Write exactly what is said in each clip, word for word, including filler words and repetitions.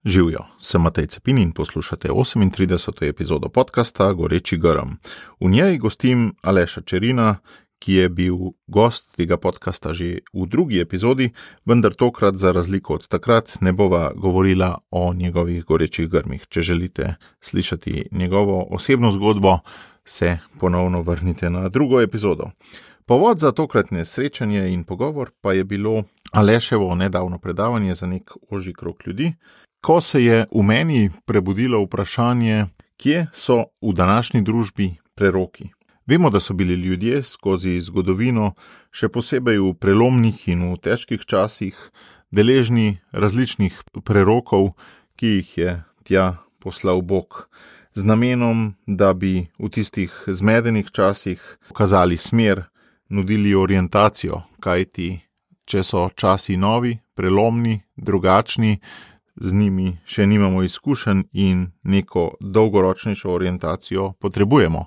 Živijo, sem Matej Cepin in poslušate osemintrideseto epizodo podcasta Goreči grm. V njej gostim Aleša Čerina, ki je bil gost tega podcasta že v drugi epizodi, vendar tokrat za razliko od takrat ne bova govorila o njegovih gorečih grmih. Če želite slišati njegovo osebno zgodbo, se ponovno vrnite na drugo epizodo. Povod za tokratne srečanje in pogovor pa je bilo Aleševo nedavno predavanje za nek ožji krog ljudi, ko se je v meni prebudilo vprašanje, kje so v današnji družbi preroki. Vemo, da so bili ljudje skozi zgodovino, še posebej v prelomnih in v težkih časih, deležni različnih prerokov, ki jih je tja poslal Bog, z namenom, da bi v tistih zmedenih časih pokazali smer, nudili orientacijo, kajti če so časi novi, prelomni, drugačni, z njimi še nimamo izkušenj in neko dolgoročnejšo orientacijo potrebujemo.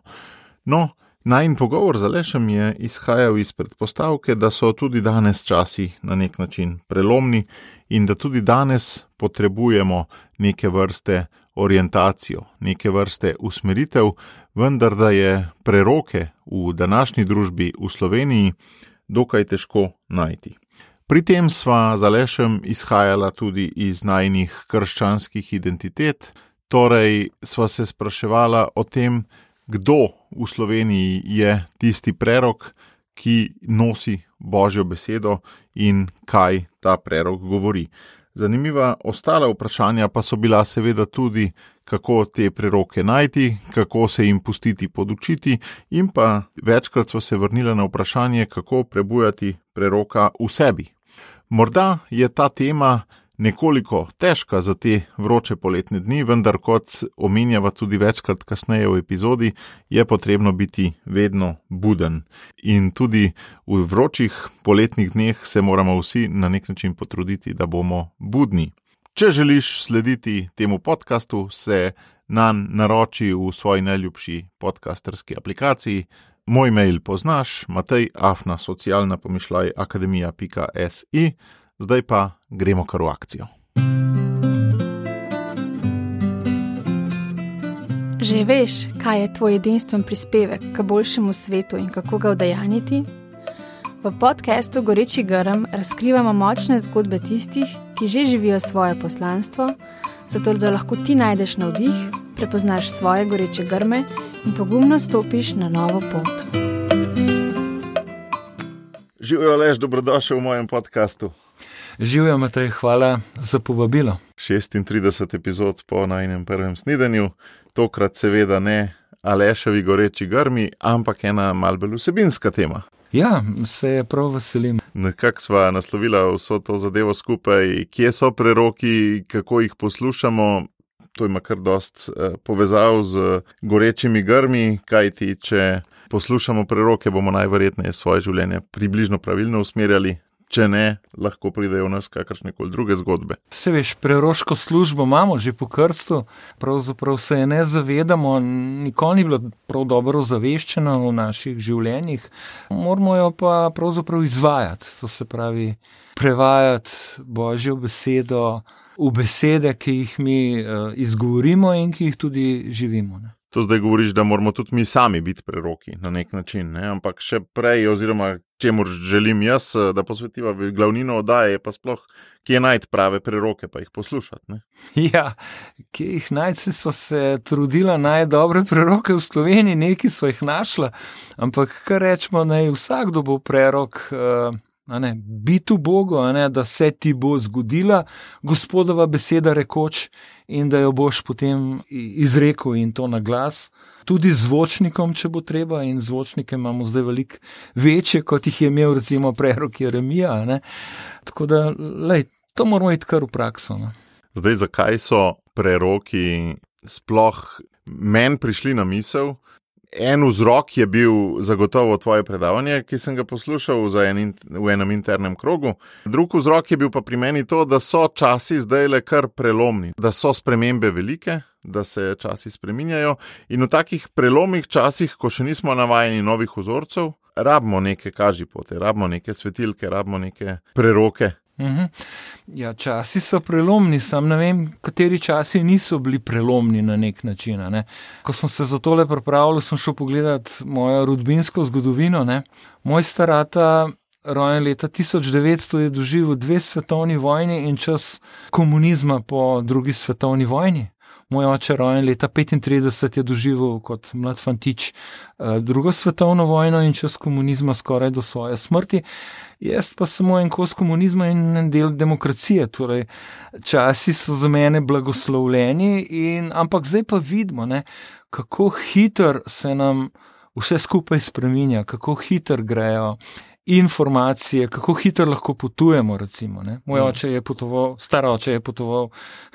No, najin pogovor z Alešem je izhajal iz predpostavke, da so tudi danes časi na nek način prelomni in da tudi danes potrebujemo neke vrste orientacijo, neke vrste usmeritev, vendar da je preroke v današnji družbi v Sloveniji dokaj težko najti. Pri tem sva z Alešem izhajala tudi iz najinih krščanskih identitet, torej sva se spraševala o tem, kdo v Sloveniji je tisti prerok, ki nosi Božjo besedo in kaj ta prerok govori. Zanimiva ostala vprašanja pa so bila seveda tudi, kako te preroke najti, kako se jim pustiti podučiti in pa večkrat sva se vrnila na vprašanje, kako prebujati preroka v sebi. Morda je ta tema nekoliko težka za te vroče poletne dni, vendar kot omenjava tudi večkrat kasneje v epizodi, je potrebno biti vedno buden. In tudi v vročih poletnih dneh se moramo vsi na nek način potruditi, da bomo budni. Če želiš slediti temu podcastu, se nanj naroči v svoji najljubši podcasterski aplikaciji. Moj mail poznaš, matej afna socialna pomišljaj akademija pika si. Zdaj pa gremo kar v akcijo. Že veš, kaj je tvoj edinstven prispevek k boljšemu svetu in kako ga udejanjiti? V podcastu Goreči grm razkrivamo močne zgodbe tistih, ki že živijo svoje poslanstvo, zato da lahko ti najdeš navdih, prepoznaš svoje goreče grme in pogumno stopiš na novo pot. Živijo, Aleš, dobrodošel v mojem podcastu. Živijo, Matej, hvala za povabilo. šestintrideset epizod po najinem prvem snidenju, tokrat seveda ne Aleševi goreči grmi, ampak ena malo bolj vsebinska tema. Ja, se je prav veselim. Nekako sva naslovila vso to zadevo skupaj, kje so preroki, kako jih poslušamo. To ima kar dost eh, povezav z gorečimi grmi, kajti če poslušamo preroke, bomo najverjetneje svoje življenje približno pravilno usmerjali. Če ne, lahko pridejo v nas kakršnekoli druge zgodbe. Se veš, preroško službo imamo že po krstu, pravzaprav se je ne zavedamo, nikoli ni bilo prav dobro ozaveščeno v naših življenjih, moramo jo pa pravzaprav izvajati, to se pravi prevajati Božjo besedo v besede, ki jih mi uh, izgovorimo in ki jih tudi živimo, ne. To zdaj govoriš, da moramo tudi mi sami biti preroki na nek način, ne? Ampak še prej, oziroma čemur želim jaz, da posvetiva glavnino oddaje, je pa sploh, kje najti prave preroke, pa jih poslušati, ne? Ja, kje jih najti, so se trudila najti dobre preroke v Sloveniji, neki so jih našla, ampak kar rečemo, naj vsakdo bo prerok, uh, a ne, biti v Bogu, a ne, da se ti bo zgodila Gospodova beseda rekoč in da jo boš potem izrekel in to na glas. Tudi zvočnikom, če bo treba, in zvočnike imamo zdaj veliko večje, kot jih je imel recimo prerok Jeremija, a ne. Tako da, lej, to moramo iti kar v prakso, ne. Zdaj, zakaj so preroki sploh meni prišli na misel? En vzrok je bil zagotovo tvoje predavanje, ki sem ga poslušal za en, v enem internem krogu. Drug vzrok je bil pa pri meni to, da so časi zdajle kar prelomni, da so spremembe velike, da se časi spreminjajo in v takih prelomnih časih, ko še nismo navajeni novih vzorcev, rabimo neke kažipote, rabimo neke svetilke, rabimo neke preroke, Mhm. Ja, časi so prelomni, sam ne vem, kateri časi niso bili prelomni na nek način. Ne. Ko sem se za tole pripravljal, sem šel pogledat mojo rodbinsko zgodovino. Ne. Moj starata, rojen leta tisoč devetsto, je doživel dve svetovni vojni in čas komunizma po drugi svetovni vojni. Moj oče, rojen leta petintrideset, je doživel kot mlad fantič drugo svetovno vojno in čas komunizma skoraj do svoje smrti. Jaz pa samo en kos komunizma in en del demokracije. Torej, časi so za mene blagoslovljeni, in, ampak zdaj pa vidimo, ne, kako hiter se nam vse skupaj spreminja, kako hiter grejo informacije, kako hitro lahko potujemo, recimo. Ne. Moj oče je potoval, star oče je potoval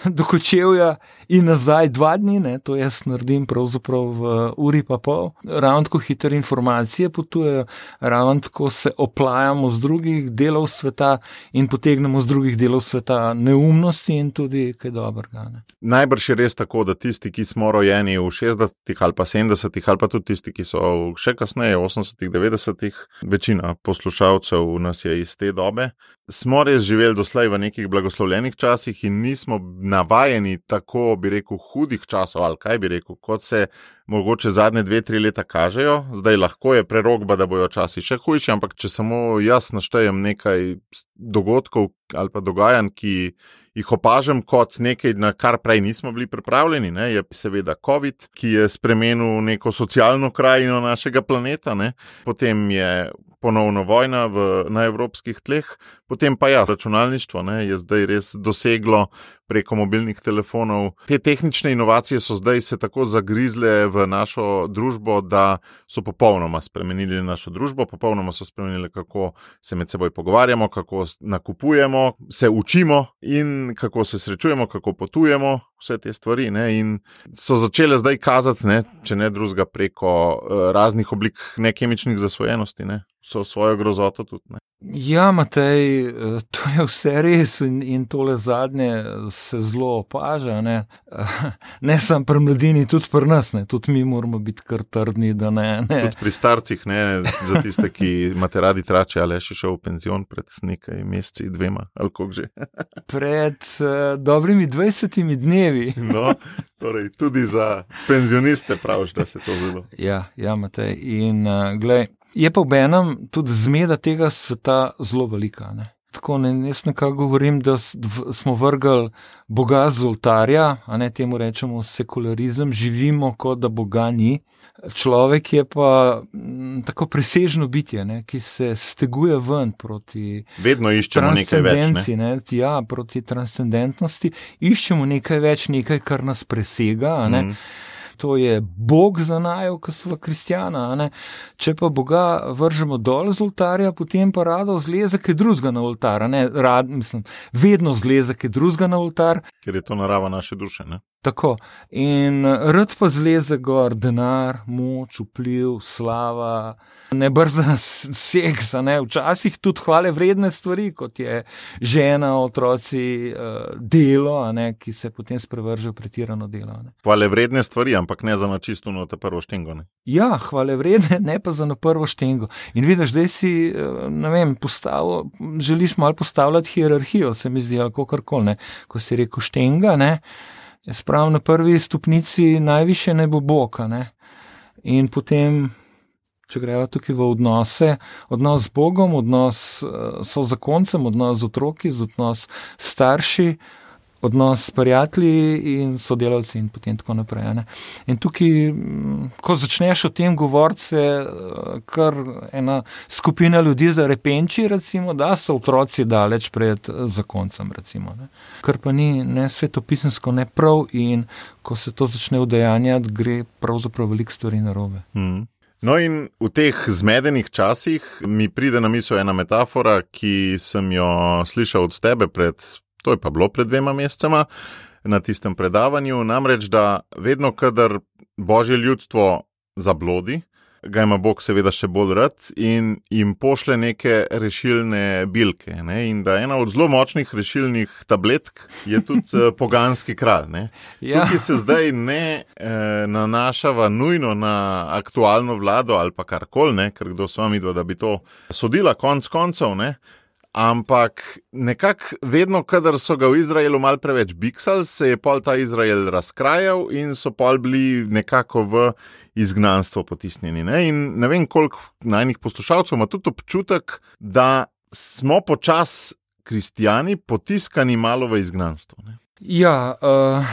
do Kočevja in nazaj dva dni, ne. To jaz naredim pravzaprav v uri pa pol. Ravno tako hitre informacije potujejo, ravno tako se oplajamo z drugih delov sveta in potegnemo z drugih delov sveta neumnosti in tudi kaj dobrega. Ne. Najbrž je res tako, da tisti, ki smo rojeni v šestdesetih ali pa sedemdesetih, ali pa tudi tisti, ki so še kasneje, osemdesetih, devetdesetih, večina poslušalcev nas je iz te dobe, smo res živeli doslej v nekih blagoslovljenih časih in nismo navajeni tako, bi rekel, hudih časov, ali kaj bi rekel, kot se mogoče zadnje dve, tri leta kažejo. Zdaj lahko je prerokba, da bojo časi še hujši, ampak če samo jaz naštejem nekaj dogodkov ali pa dogajanj, ki jih opažam kot nekaj, na kar prej nismo bili pripravljeni, ne, je seveda COVID, ki je spremenil neko socialno krajino našega planeta, ne. Potem je ponovno vojna v, na evropskih tleh, potem pa ja, računalništvo, ne, je zdaj res doseglo preko mobilnih telefonov. Te tehnične inovacije so zdaj se tako zagrizle v našo družbo, da so popolnoma spremenili našo družbo, popolnoma so spremenili, kako se med seboj pogovarjamo, kako nakupujemo, se učimo in kako se srečujemo, kako potujemo, vse te stvari, ne, in so začele zdaj kazati, ne, če ne drugega, preko uh, raznih oblik nekemičnih zasvojenosti, ne, so svojo grozoto tudi, ne. Ja, Matej, to je vse res in, in tole zadnje se zelo opaža, ne, ne samo pri mladini, tudi pri nas, ne, tudi mi moramo biti kar trdni, da ne, ne. Tudi pri starcih, ne, za tiste, ki imate radi trače, ali je še šel v penzion pred nekaj meseci, dvema, ali koliko že. Pred uh, dobrimi dvajsetimi dnevi. No, torej tudi za penzioniste praviš, da se to zelo. Ja, ja, Matej, in uh, glej, je pa obenem tudi zmeda tega sveta zelo velika, ne. Tako ne, jaz nekako govorim, da smo vrgli Boga z oltarja, a ne, temu rečemo sekularizem, živimo kot da Boga ni. Človek je pa m, tako presežno bitje, ne, ki se steguje ven proti vedno iščemo nekaj več, ne? Ne, ja, proti transcendentnosti, iščemo nekaj več, nekaj, kar nas presega, a ne. Mm. To je Bog za naju, ko smo kristjana, a ne. Če pa Boga vržemo dol z oltarja, potem pa rado zleze kaj drugega na oltar, a ne. Rad, mislim, vedno zleze kaj drugega na oltar. Ker je to narava naše duše, ne. Tako. In rad pa zleze gor denar, moč, vpliv, slava, nebrzdan seks, a ne. Včasih tudi hvale vredne stvari, kot je žena, otroci, delo, a ne, ki se potem sprevržejo pretirano delo, a ne. Hvale vredne stvari, ampak ne za na čisto na te prvo štengo, ne. Ja, hvale vredne, ne pa za na prvo štengo. In vidiš, zdaj si, ne vem, postavil, želiš malo postavljati hierarhijo, se mi zdi, ali kakorkoli, ne. Ko si rekel štenga, ne, jaz pravim, na prvi stopnici najviše naj bo Bog, ne. In potem, če greva tukaj v odnose, odnos z Bogom, odnos so zakoncem, odnos z otroki, odnos s starši, odnos s prijatelji in sodelavci in potem tako naprej, ne. In tukaj, ko začneš o tem govoriti, se kar ena skupina ljudi zarepenči, recimo, da so otroci daleč pred zakoncem, recimo, ne. Kar pa ni ne svetopisemsko, ne prav, in ko se to začne udejanjati, gre pravzaprav veliko stvari narobe. Mm. No, in v teh zmedenih časih mi pride na misel ena metafora, ki sem jo slišal od tebe pred, to je pa bilo pred dvema mesecema, na tistem predavanju, namreč, da vedno, kadar Božje ljudstvo zablodi, ga ima Bog seveda še bolj rad in jim pošle neke rešilne bilke, ne? In da ena od zelo močnih rešilnih tabletk je tudi poganski kralj, ne? Ja. Tukaj se zdaj ne eh, nanašava nujno na aktualno vlado ali pa karkoli, ne? Ker kdo s vami dva, da bi to sodila konc koncev, ne? ampak nekako vedno, kadar so ga v Izraelu mal preveč biksali, se je pol ta Izrael razkrajal in so pol bili nekako v izgnanstvo potisnjeni. Ne? In ne vem, koliko najnih poslušalcev ima tudi občutek, da smo počas kristijani potiskani malo v izgnanstvo. Ne? Ja, uh...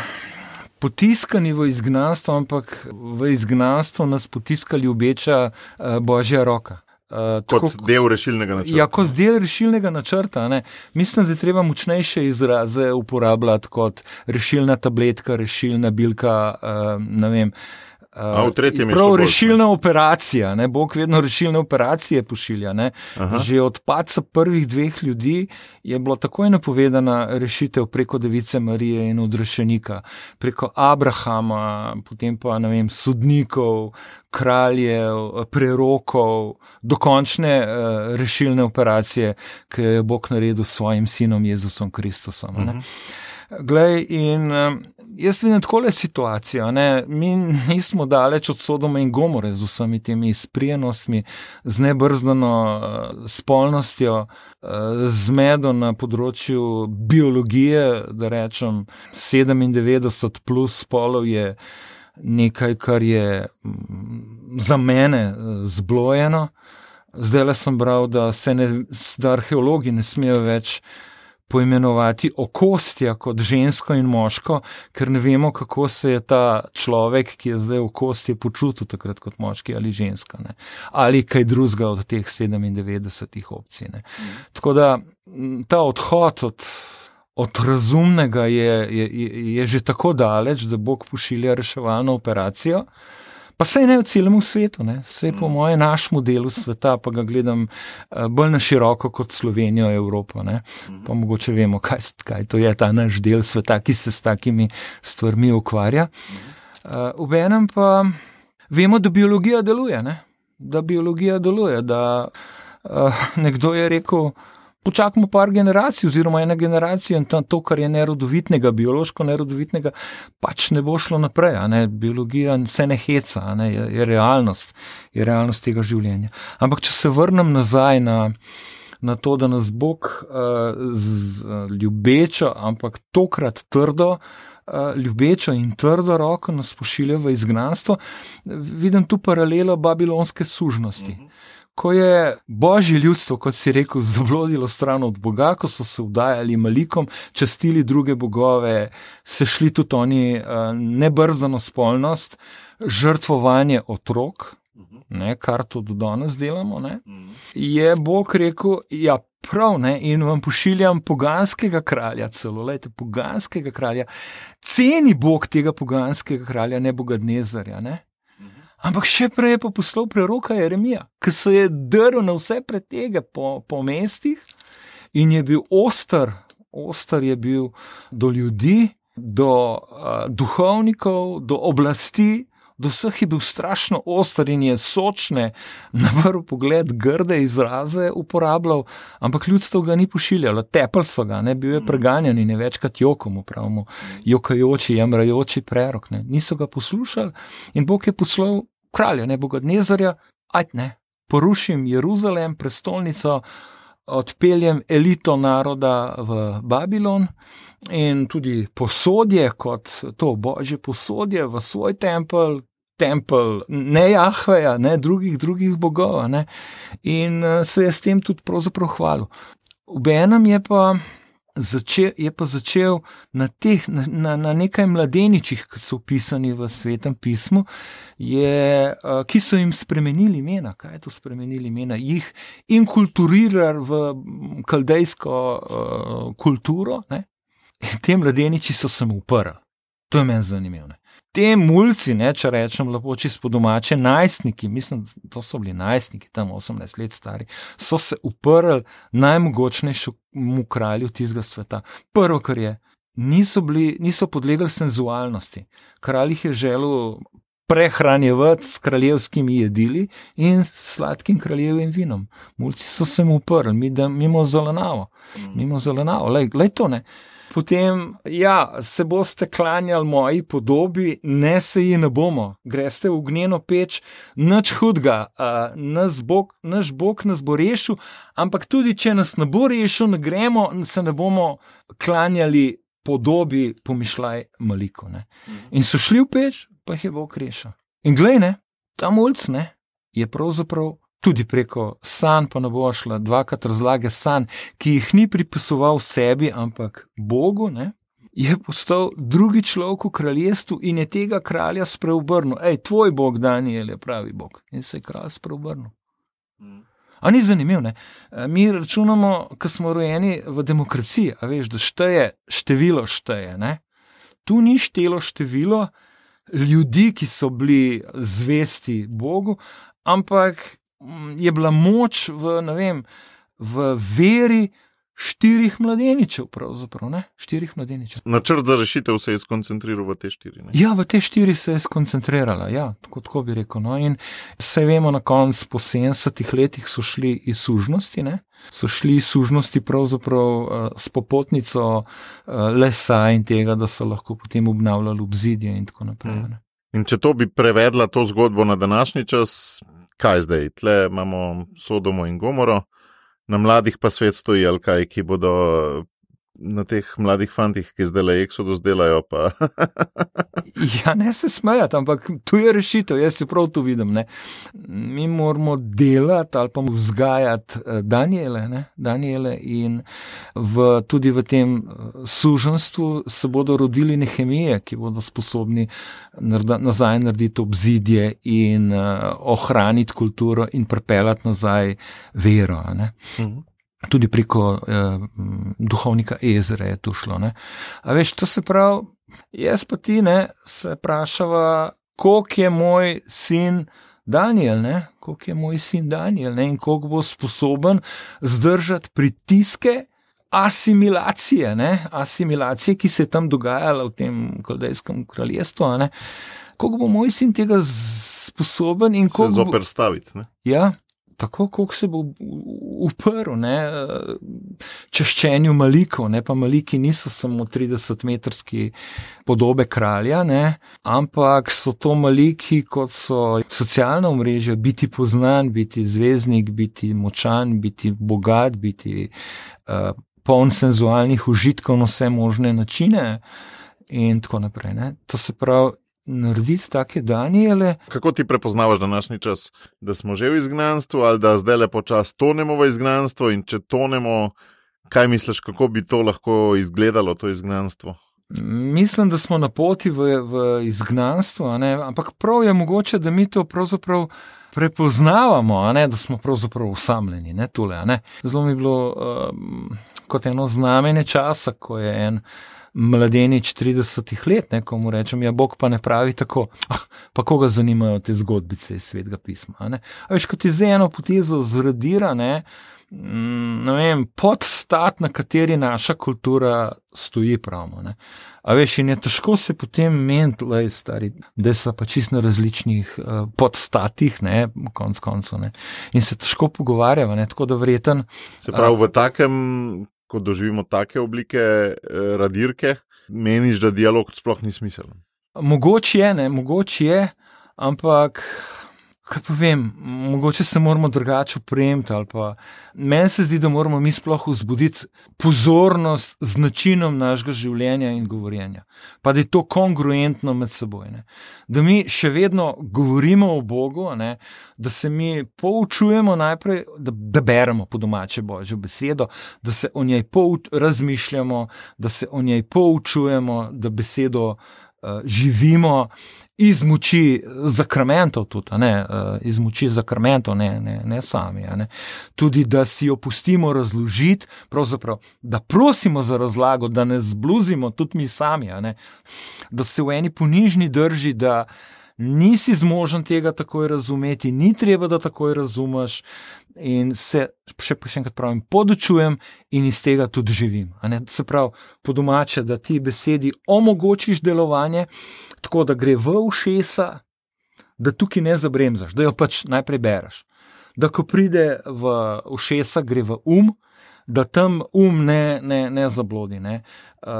potiskani v izgnanstvo, ampak v izgnanstvo nas potiska ljubeča uh, Božja roka. Uh, kot tako, del rešilnega načrta. Ja, kot del rešilnega načrta. Ne. Mislim, da je treba močnejše izraze uporabljati kot rešilna tabletka, rešilna bilka, uh, ne vem. A, v tretjem je prav šlo rešilna bolj, operacija, ne, Bog vedno rešilne operacije pošilja. Ne. Že od padca prvih dveh ljudi je bilo takoj napovedana rešitev preko Device Marije in odrešenika, preko Abrahama, potem pa, ne vem, sodnikov, kraljev, prerokov, dokončne uh, rešilne operacije, ki je Bog naredil s svojim sinom Jezusom Kristusom. Ne. Uh-huh. Glej, in um, jaz vidim takole situacijo, ne? Mi nismo daleč od Sodoma in Gomore z vsemi temi izprijenostmi, z nebrzdano uh, spolnostjo, uh, z medo na področju biologije, da rečem sedemindevetdeset plus spolov je nekaj, kar je um, za mene uh, zblojeno. Zdajle sem bral, da se ne, da arheologi ne smejo več poimenovati okostja kot žensko in moško, ker ne vemo, kako se je ta človek, ki je zdaj okostje, počutil takrat kot moški ali ženska, ne? Ali kaj drugega od teh sedemindevetdesetih opcij. Ne? Mm. Tako da ta odhod od, od razumnega je, je, je že tako daleč, da Bog pošilja reševalno operacijo. Pa sej ne v celem svetu, ne? Sej po moje našemu delu sveta, pa ga gledam uh, bolj na široko kot Slovenijo, Evropo, ne? Pa mogoče vemo, kaj, kaj to je ta naš del sveta, ki se s takimi stvarmi ukvarja. Uh, Obenem pa vemo, da biologija deluje, ne? Da biologija deluje, da uh, nekdo je rekel, počakamo par generacij oziroma ena generacija in to, kar je nerodovitnega, biološko nerodovitnega, pač ne bo šlo naprej. A ne? Biologija se ne heca, a ne? Je, je realnost, je realnost tega življenja. Ampak če se vrnem nazaj na, na to, da nas Bog uh, z uh, ljubečo, ampak tokrat trdo, uh, ljubečo in trdo roko nas pošilja v izgnanstvo, vidim tu paralelo babilonske sužnosti. Mhm. Ko je Božje ljudstvo, kot si rekel, zablodilo stran od Boga, ko so se vdajali malikom, častili druge bogove, se šli tudi oni uh, nebrzdano spolnost, žrtvovanje otrok, ne, kar tudi danes delamo, ne, je Bog rekel, ja prav, ne, in vam pošiljam poganskega kralja celo, lejte, poganskega kralja, ceni Bog tega poganskega kralja Nebukadnezarja, ne. Ampak še prej je pa poslal preroka Jeremija, ki se je drl na vse pretege po, po mestih in je bil oster, oster je bil do ljudi, do uh, duhovnikov, do oblasti, do vseh je bil strašno oster in je sočne, na prvi pogled grde izraze uporabljal, ampak ljudstvo ga ni pošiljalo, tepel so ga, ne, bil je preganjan in je večkrat jokom, upravimo, jokajoči, jamrajoči prerok, ne, niso ga poslušali in Bog je poslal kralja Nebukadnezarja, ajde ne, porušim Jeruzalem, prestolnico, odpeljem elito naroda v Babilon in tudi posodje kot to Božje posodje v svoj tempelj, tempelj ne Jahveja, ne drugih, drugih bogov, ne, in se je s tem tudi pravzaprav hvalil. Obenem je pa Začel, je pa začel na, teh, na, na nekaj mladeničih, ki so opisani v Svetem pismu, je, ki so jim spremenili imena. Kaj je to spremenili imena? Jih inkulturirali v kaldejsko uh, kulturo. Ne? In te mladeniči so se mu uprli. To je meni zanimivo. Ne? Te mulci, ne, če rečem lepo čisto domače, najstniki, mislim, to so bili najstniki, tam osemnajst let stari, so se uprli najmogočnejšemu kralju tistega sveta. Prvo, kar je, niso, bili, niso podlegli senzualnosti. Kralj jih je želel prehranjevati s kraljevskimi jedili in sladkim kraljevim vinom. Mulci so se mu uprli, mimo zelenavo, mimo zelenavo, lej, lej to ne. potem, ja, se boste klanjali moji podobi, ne se ji ne bomo. Greste v ognjeno peč, nič hudega, uh, naš Bog, naš Bog nas bo rešil, ampak tudi, če nas ne bo rešil, ne gremo, se ne bomo klanjali podobi, pomišljaj maliko. Ne. In so šli v peč, pa jih je Bog rešil. In glej, ne, ta mulc, ne, je pravzaprav tudi preko sanj, pa ne bo šla dvakrat razlage sanj, ki jih ni pripisoval sebi, ampak Bogu, ne, je postal drugi človek v kraljestvu in je tega kralja spreobrnil. Ej, tvoj Bog, Daniel, je pravi Bog. In se je kralj spreobrnil. A ni zanimiv, ne? Mi računamo, ko smo rojeni v demokraciji, a veš, da šteje, število šteje, ne? Tu ni štelo število ljudi, ki so bili zvesti Bogu, ampak je bila moč v, ne vem, v veri štirih mladeničev, pravzaprav, ne? Štirih mladeničev. Načrt za rešitev se je skoncentriral v te štiri, ne? Ja, v te štiri se je skoncentrirala, ja, tako, tako bi rekel, no, in se vemo na koncu po sedemdesetih letih so šli iz sužnosti, ne? So šli iz sužnosti pravzaprav uh, s popotnico uh, lesa in tega, da so lahko potem obnavljali obzidje in tako naprej, ne? In če to bi prevedla to zgodbo na današnji čas, kaj zdaj? Tle imamo Sodomo in Gomoro, na mladih pa svet stoji, ali kaj, ki bodo na teh mladih fantih, ki zdaj le Exodus delajo, pa... Ja, ne se smejati, ampak tu je rešitev, jaz se prav tu vidim, ne. Mi moramo delati ali pa vzgajati Daniele, ne, Daniele in v, tudi v tem suženstvu se bodo rodili Nehemije, ki bodo sposobni nareda, nazaj narediti obzidje in uh, ohraniti kulturo in pripeljati nazaj vero, ne. Mhm. Tudi preko eh, duhovnika Ezre je to šlo, ne. A veš, to se pravi, jaz pa ti, ne, se vprašava, koliko je moj sin Daniel, ne, koliko je moj sin Daniel, ne, in koliko bo sposoben zdržati pritiske asimilacije, ne, asimilacije, ki se je tam dogajala v tem kaldejskem kraljestvu, ne, koliko bo moj sin tega sposoben in koliko... Se zoperstaviti, ne. Ja. Tako, koliko se bo uprl, ne, čaščenju malikov, ne, pa maliki niso samo tridesetmetrski podobe kralja, ne, ampak so to maliki, kot so socialna omrežja, biti poznan, biti zvezdnik, biti močan, biti bogat, biti uh, poln senzualnih užitkov na vse možne načine in tako naprej, ne. To se pravi, narediti take Daniele. Kako ti prepoznavaš današnji čas? Da smo že v izgnanstvu ali da zdaj le počas tonemo v izgnanstvo in če tonemo, kaj misliš, kako bi to lahko izgledalo, to izgnanstvo? Mislim, da smo na poti v, v izgnanstvo, a ne? Ampak prav je mogoče, da mi to pravzaprav prepoznavamo, a ne? Da smo pravzaprav osamljeni, ne, tule, a ne? Zelo mi je bilo um, kot eno znamenje časa, ko je en mladenič tridesetih let, ne, ko mu rečem, ja, Bog pa ne pravi tako, ah, pa koga zanimajo te zgodbice iz Svetega pisma, a ne. A veš, ko ti z eno potezo zradira, ne, ne vem, podstat, na kateri naša kultura stoji, pravimo, ne. A veš, in je težko se potem meniti, lej, stari, da sva pa čist na različnih uh, podstatih, ne, konc koncev, ne, in se težko pogovarjava, ne, tako da vreten. Se pravi, v takem, ko doživimo take oblike eh, radirke, meniš, da dialog sploh ni smiseln? Mogoče je, ne, mogoče je, ampak, kaj pa vem, mogoče se moramo drugače opremiti, ali pa meni se zdi, da moramo mi sploh vzbuditi pozornost z načinom našega življenja in govorjenja. Pa da je to kongruentno med seboj, ne. Da mi še vedno govorimo o Bogu, ne, da se mi poučujemo najprej, da, da beremo po domače Božjo besedo, da se o njej pouč, razmišljamo, da se o njej poučujemo, da besedo uh, živimo iz moči zakramentov tudi, ne, iz moči zakramentov, ne, ne, ne sami, ne. Tudi, da si jo pustimo razložiti, pravzaprav, da prosimo za razlago, da ne zbluzimo tudi mi sami, ne. Da se v eni ponižni drži, da nisi zmožen tega takoj razumeti, ni treba, da takoj razumeš in se, še, še enkrat pravim, podučujem in iz tega tudi živim. A ne? Se pravi, po domače, da ti besedi omogočiš delovanje, tako da gre v ušesa, da tukaj ne zabremzaš, da jo pač najprej bereš. Da ko pride v ušesa, gre v um, da tam um ne, ne, ne zablodi, ne?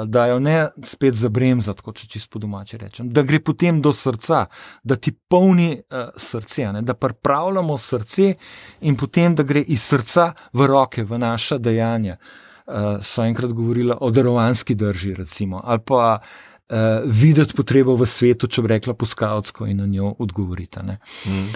Da jo ne spet zabremzati, kot če čisto po domače rečem, da gre potem do srca, da ti polni uh, srce, ne? Da pripravljamo srce in potem, da gre iz srca v roke, v naša dejanja. Uh, so enkrat govorila o darovanski drži, recimo, ali pa uh, videti potrebo v svetu, če bi rekla po skavtsko in na njo odgovorita. Ne? Mm.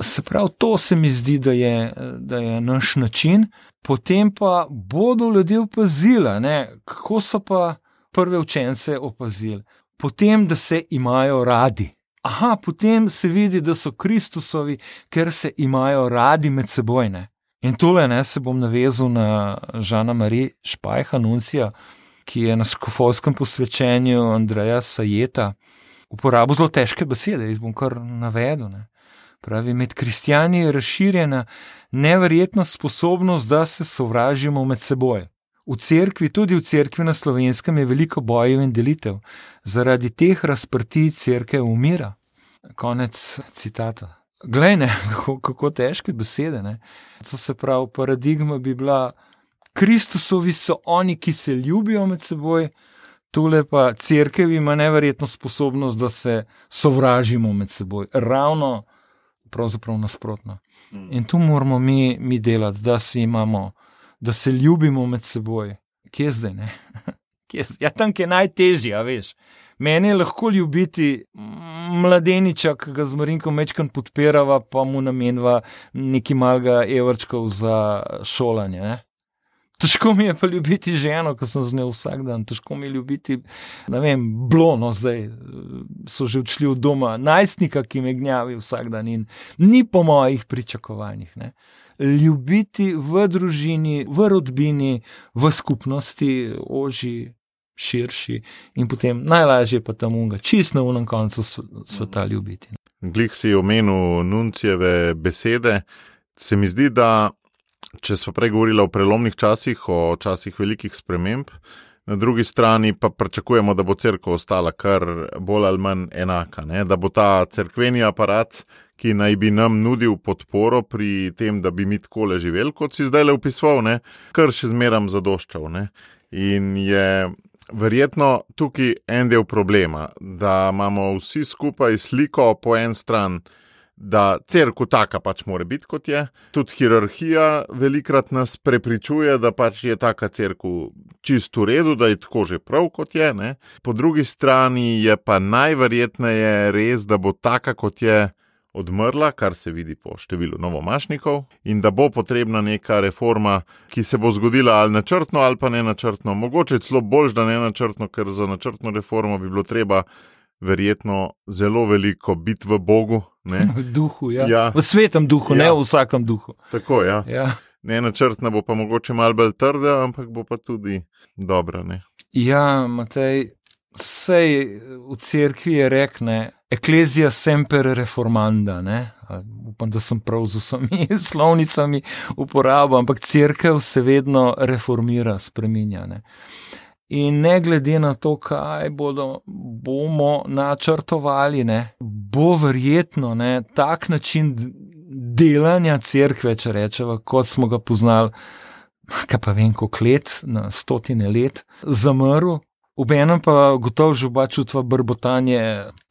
Se pravi, to se mi zdi, da je, da je naš način. Potem pa bodo ljudje opazili, ne, kako so pa prve učence opazili. Potem, da se imajo radi. Aha, potem se vidi, da so Kristusovi, ker se imajo radi med seboj. Ne. In tole ne, se bom navezal na Žana Marie Špajha, nuncija, ki je na škofovskem posvečenju Andreja Sajeta uporabil zelo težke besede, jaz bom kar navedel. Ne. Pravi, med kristjani je razširjena neverjetna sposobnost, da se sovražimo med seboj. V cerkvi, tudi v cerkvi na Slovenskem je veliko bojev in delitev. Zaradi teh razprtij cerkev umira. Konec citata. Glej, ne, kako, kako težke besede. Ne. To se pravi, paradigma bi bila, Kristusovi so oni, ki se ljubijo med seboj, tule pa cerkev ima neverjetno sposobnost, da se sovražimo med seboj. Ravno pravzaprav nasprotno. In tu moramo mi, mi delati, da si imamo, da se ljubimo med seboj. Kje zdaj, ne? Kje zdaj? Ja, tam, ki je najtežje, a veš. Meni je lahko ljubiti mladeniča, ki ga z Marinkom mečkan podpirava, pa mu namenva neki malga evrčkov za šolanje, ne? Težko mi je pa ljubiti ženo, ko sem z njo vsak dan, težko mi je ljubiti, ne vem, blono zdaj, so že odšli od doma, najstnika, ki me gnjavi vsak dan in ni po mojih pričakovanjih. Ne. Ljubiti v družini, v rodbini, v skupnosti, oži, širši in potem najlažje pa tam unga, čist na unem koncu sveta ljubiti. Glih si omenil Nuncijeve besede, se mi zdi, da če smo prej govorili o prelomnih časih, o časih velikih sprememb, na drugi strani pa pričakujemo, da bo cerkev ostala kar bolj ali manj enaka, ne? Da bo ta cerkveni aparat, ki naj bi nam nudil podporo pri tem, da bi mi takole živeli, kot si zdaj le opisoval, ne? Kar še zmeram zadoščal. Ne? In je verjetno tukaj en del problema, da imamo vsi skupaj sliko po en stran, da cerkev taka pač mora biti, kot je. Tudi hierarhija velikrat nas prepričuje, da pač je taka cerkev čisto v redu, da je tako že prav, kot je. Ne? Po drugi strani je pa najverjetneje res, da bo taka, kot je, odmrla, kar se vidi po številu novomašnikov, in da bo potrebna neka reforma, ki se bo zgodila ali načrtno ali pa ne načrtno. Mogoče celo bolj, da ne načrtno, ker za načrtno reformo bi bilo treba verjetno zelo veliko biti v Bogu. Ne? V duhu, ja. Ja. V svetem duhu, ja. Ne v vsakem duhu. Tako, ja. Ja. Ne načrtna bo pa mogoče malo bolj trda, ampak bo pa tudi dobra. Ne? Ja, Matej, sej v cerkvi je rekne, eklezija semper reformanda, ne? Upam, da sem prav z vsemi slovnicami uporabil, ampak cerkev se vedno reformira, spreminja. Ne? In ne glede na to, kaj bodo, bomo načrtovali, ne, bo verjetno ne, tak način delanja cerkve, če rečeva, kot smo ga poznali, kaj pa vem, koliko let, na stotine let, zamrl, obenem pa gotovo že oba čutva brbotanje,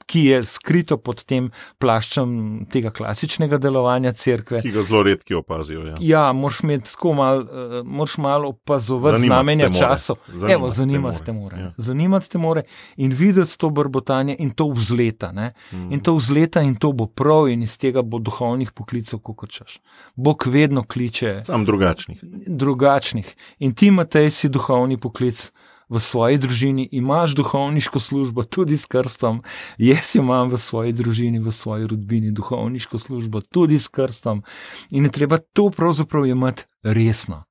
ki je skrito pod tem plaščem tega klasičnega delovanja cerkve. Ki ga zelo redki opazijo. Ja, ja moraš imeti tako malo, uh, moraš malo opazovati znamenja časov. Evo, zanimati te more. Ja. Zanimati te more in videti to brbotanje in to vzleta. Ne? Mm. In to vzleta in to bo prav in iz tega bo duhovnih poklicov, kako češ. Bog vedno kliče. Sam drugačnih. Drugačnih. In ti, Matej, si duhovni poklic. V svoji družini imaš duhovniško službo tudi s krstom, jaz imam v svoji družini, v svoji rodbini duhovniško službo tudi s krstom in je treba to pravzaprav imeti resno.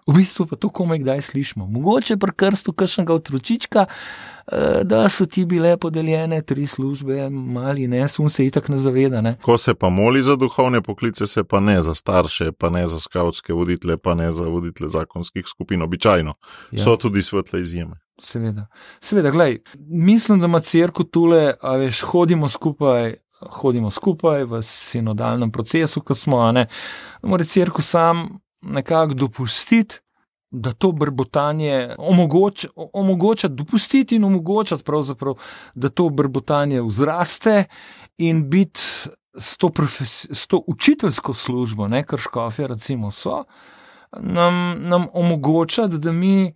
V bistvu pa to komaj kdaj slišimo. Mogoče pri krstu kakšnega otročička, da so ti bile podeljene tri službe, mali ne, sun se itak ne zaveda. Ne? Ko se pa moli za duhovne poklice, se pa ne za starše, pa ne za skavtske voditelje, pa ne za voditelje zakonskih skupin, običajno. Ja. So tudi svetle izjeme. Seveda. Seveda, glej, mislim, da ima cerkev tule, a veš, hodimo skupaj, hodimo skupaj v sinodalnem procesu, ko smo, a ne, mora cerkev sam nekako dopustiti, da to brbotanje omogoča, omogoča dopustiti in omogočati pravzaprav, da to brbotanje vzraste in biti s to, profes, s to učiteljsko službo, ne, kar škofje recimo so, nam, nam omogočati, da mi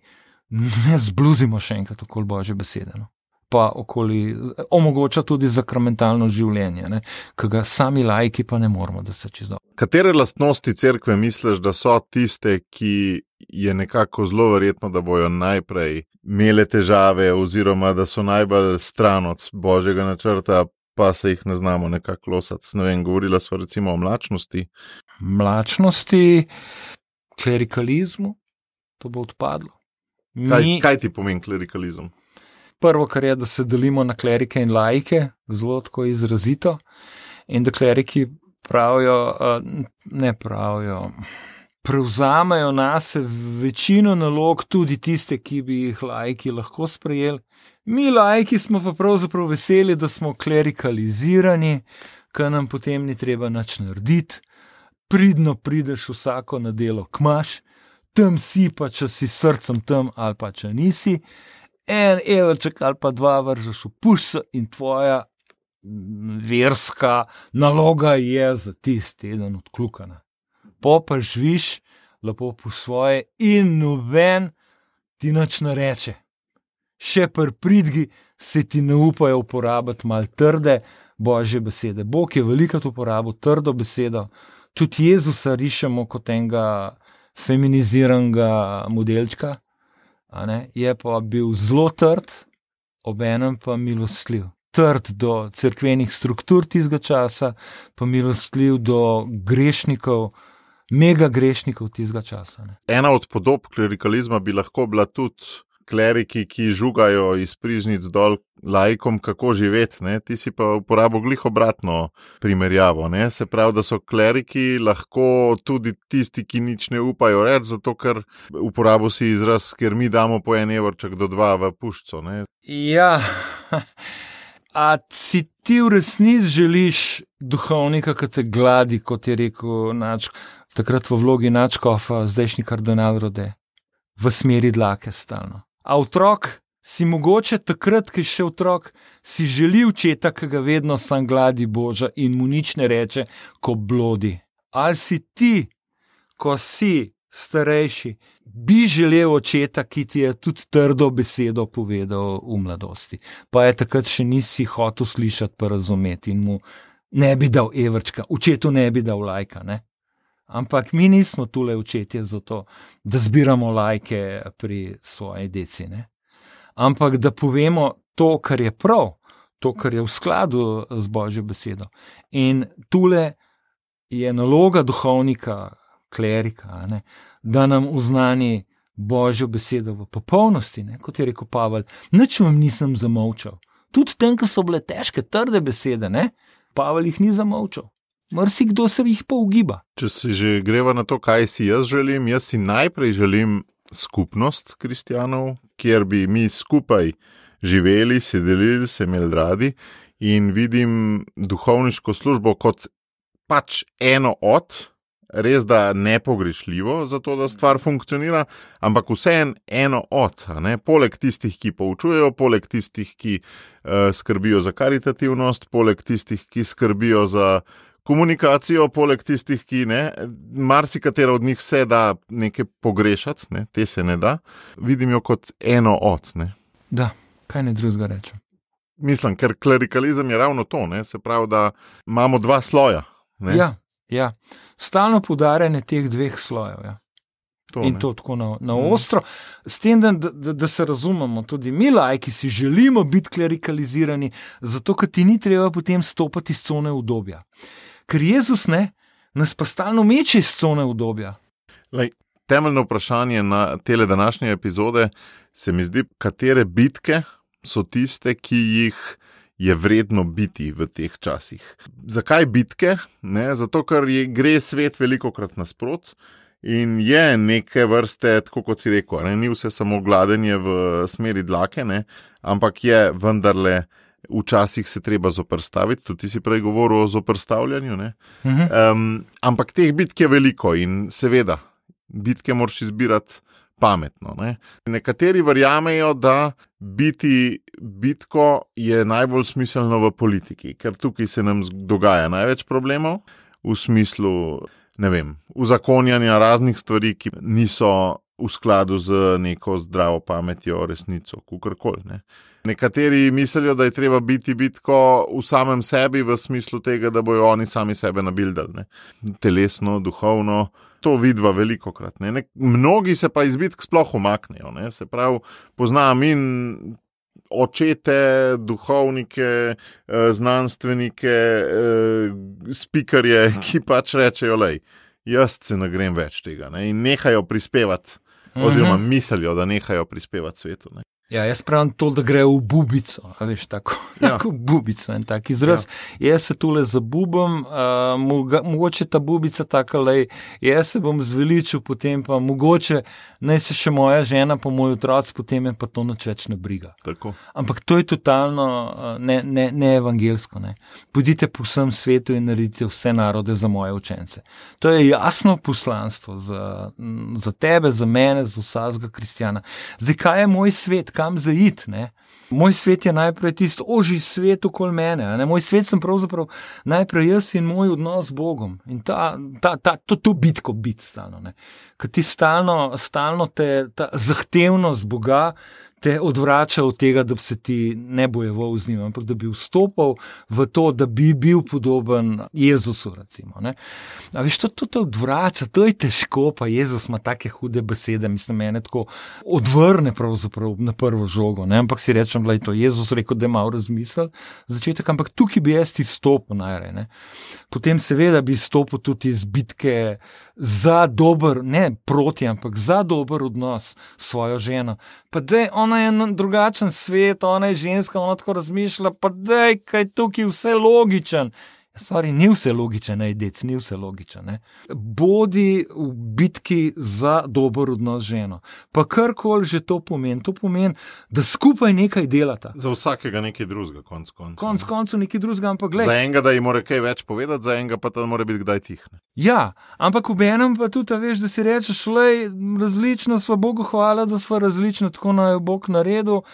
ne zbluzimo še enkrat okoli Božje besede, no. Pa okoli, omogoča tudi zakramentalno življenje, ne, ki ga sami laiki pa ne moramo, da se čisto. Katere lastnosti cerkve misliš, da so tiste, ki je nekako zelo verjetno, da bojo najprej imele težave oziroma da so najbolj stran od Božjega načrta, pa se jih ne znamo nekako losati? Ne vem, govorila sva recimo o mlačnosti. Mlačnosti, klerikalizmu, to bo odpadlo. Mi... Kaj, kaj ti pomeni klerikalizem? Prvo, kar je, da se delimo na klerike in laike, zelo tako izrazito, in da kleriki pravijo, ne pravijo, prevzamejo nase večino nalog, tudi tiste, ki bi jih laiki lahko sprejeli. Mi laiki smo pa pravzaprav veseli, da smo klerikalizirani, ker nam potem ni treba nič narediti, pridno prideš vsako na delo kmaš, tam si pa, če si srcem tam ali pa če nisi, en evrček ali pa dva vržeš v puščo in tvoja verska naloga je za tisti teden odkljukana. Po pa živiš lepo po svoje in noben ti nič ne reče. Še pri pridgi se ti ne upajo uporabiti malo trde Božje besede. Bog je velikokrat uporabil trdo besedo, tudi Jezusa rišemo kot enega feminiziranega modelčka, a ne, je pa bil zelo trd, obenem pa milostljiv. Trd do cerkvenih struktur tistega časa, pa milostljiv do grešnikov, mega grešnikov tistega časa. Ne. Ena od podob klerikalizma bi lahko bila tudi kleriki, ki žugajo iz prižnic dol laikom, kako živeti, ne? Ti si pa uporabil glih obratno primerjavo, ne? Se pravi, da so kleriki lahko tudi tisti, ki nič ne upajo reči, zato ker uporabil si izraz, ker mi damo po en evrček do dva v puščo, ne? Ja, a si ti v resnici želiš duhovnika, ki te gladi, kot je rekel Načko, takrat v vlogi Načkofa, zdajšnji kardinal Rode, v smeri dlake stalno. A otrok si mogoče takrat, ki je še otrok, si želi očeta, ki ga vedno sam gladi Boža in mu nič ne reče, ko blodi. Ali si ti, ko si starejši, bi želel očeta, ki ti je tudi trdo besedo povedal v mladosti, pa je takrat še nisi hotel slišati pa razumeti in mu ne bi dal evrčka, očetu ne bi dal lajka, ne? Ampak mi nismo tule očetje za to, da zbiramo lajke pri svoji deci, ne? Ampak da povemo to, kar je prav, to, kar je v skladu z Božjo besedo. In tule je naloga duhovnika, klerika, ne? Da nam uznani Božjo besedo v popolnosti, ne? Kot je rekel Pavel, nič vam nisem zamolčal. Tudi tem, ko so bile težke, trde besede, ne? Pavel jih ni zamolčal. Marsikdo se jih pa ugiba. Če si že greva na to, kaj si jaz želim, jaz si najprej želim skupnost kristjanov, kjer bi mi skupaj živeli, se delili, se imeli radi in vidim duhovniško službo kot pač eno od, res da nepogrešljivo za to, da stvar funkcionira, ampak vseeno eno od, ne? Poleg tistih, ki poučujejo, poleg tistih, ki uh, skrbijo za karitativnost, poleg tistih, ki skrbijo za komunikacijo, poleg tistih, ki ne, marsikatera od njih se da nekaj pogrešati, ne? Te se ne da, vidim jo kot eno od. Ne? Da, kaj ne drugega rečem. Mislim, ker klerikalizem je ravno to, ne? Se pravi, da imamo dva sloja. Ne? Ja, ja. Stalno poudarjanje teh dveh slojev. Ja. To, in to tako na, na mm. ostro. S tem, da, da, da se razumemo, tudi mi laiki si želimo biti klerikalizirani, zato ker ti ni treba potem stopati iz cone udobja. Ker Jezus ne, nas pa stalno meče iz cone udobja. Lej, temeljno vprašanje na tele današnje epizode se mi zdi, katere bitke so tiste, ki jih je vredno biti v teh časih. Zakaj bitke? Ne? Zato, ker je, gre svet velikokrat nasprot in je neke vrste, tako kot si rekel, ne? Ni vse samo gladenje v smeri dlake, ne? Ampak je vendarle včasih se treba zoperstaviti, tudi ti si prej govoril o zoperstavljanju, ne? Mhm. Um, ampak teh bitk je veliko in seveda, bitke moraš izbirati pametno. Ne? Nekateri verjamejo, da biti bitko je najbolj smiselno v politiki, ker tukaj se nam dogaja največ problemov v smislu, ne vem, uzakonjanja raznih stvari, ki niso v skladu z neko zdravo pametjo, resnico, kakorkoli. Ne? Nekateri mislijo, da je treba biti bitko v samem sebi v smislu tega, da bojo oni sami sebe nabildali. Ne? Telesno, duhovno, to vidva velikokrat. Ne? Ne, mnogi se pa iz bitk sploh umaknejo. Ne? Se pravi, poznam in očete, duhovnike, znanstvenike, spikerje, ki pač rečejo, lej, jaz se ne grem več tega. Ne? In nehajo prispevati, oziroma uh-huh. mislijo, da nehajo prispevati svetu. Ne? Ja, jaz pravim to, da gre v bubico, a veš, tako, ja. tako bubico, en tak izraz. Ja. Jaz se tule zabubam, uh, moga, mogoče ta bubica taka, lej, jaz se bom zveličil, potem pa mogoče naj se še moja žena, pa moj otroc, potem je pa to nič več ne briga. Tako. Ampak to je totalno uh, ne, ne, ne evangelsko. Ne. Pojdite po vsem svetu in naredite vse narode za moje učence. To je jasno poslanstvo za, za tebe, za mene, za vsakega kristjana. Zdaj, kaj je moj svet? Kam zaid, ne? Moj svet je najprej tisto ožji svet okoli mene. Ne? Moj svet sem pravzaprav najprej jaz in moj odnos z Bogom. In ta, ta, ta, to, to bitko biti stalno. Ne? Ker ti stalno, stalno te, ta zahtevnost Boga te odvrača od tega, da bi se ti ne bojeval z njim, ampak da bi vstopal v to, da bi bil podoben Jezusu, recimo. Ne? A veš, to, to te odvrača, to je težko, pa Jezus ima take hude besede, mislim, mene tako odvrne pravzaprav na prvo žogo, ne? Ampak si rečem, da je to Jezus rekel, da je malo razmisel začetek, ampak tukaj bi jaz izstopil najrej, ne? Potem seveda bi izstopil tudi iz bitke za dober, ne proti, ampak za dober odnos s svojo ženo. Pa dej, ona je drugačen svet, ona je ženska, ona tako razmišlja, pa dej, kaj tukaj vse logičen. Sorry, ni vse logičen, ne, dec, ni vse logičen. Ne. Bodi v bitki za dober odnos z ženo. Pa karkoli že to pomeni, to pomeni, da skupaj nekaj delata. Za vsakega nekaj drugega, konc koncev. Konc koncev nekaj drugega, ampak gled. Za enega, da ji mora kaj več povedati, za enega pa ta mora biti kdaj tih. Ne. Ja, ampak v enem pa tudi, veš, da si rečeš, lej, različna sva, Bogu hvala, da sva različna, tako naj jo Bog naredil,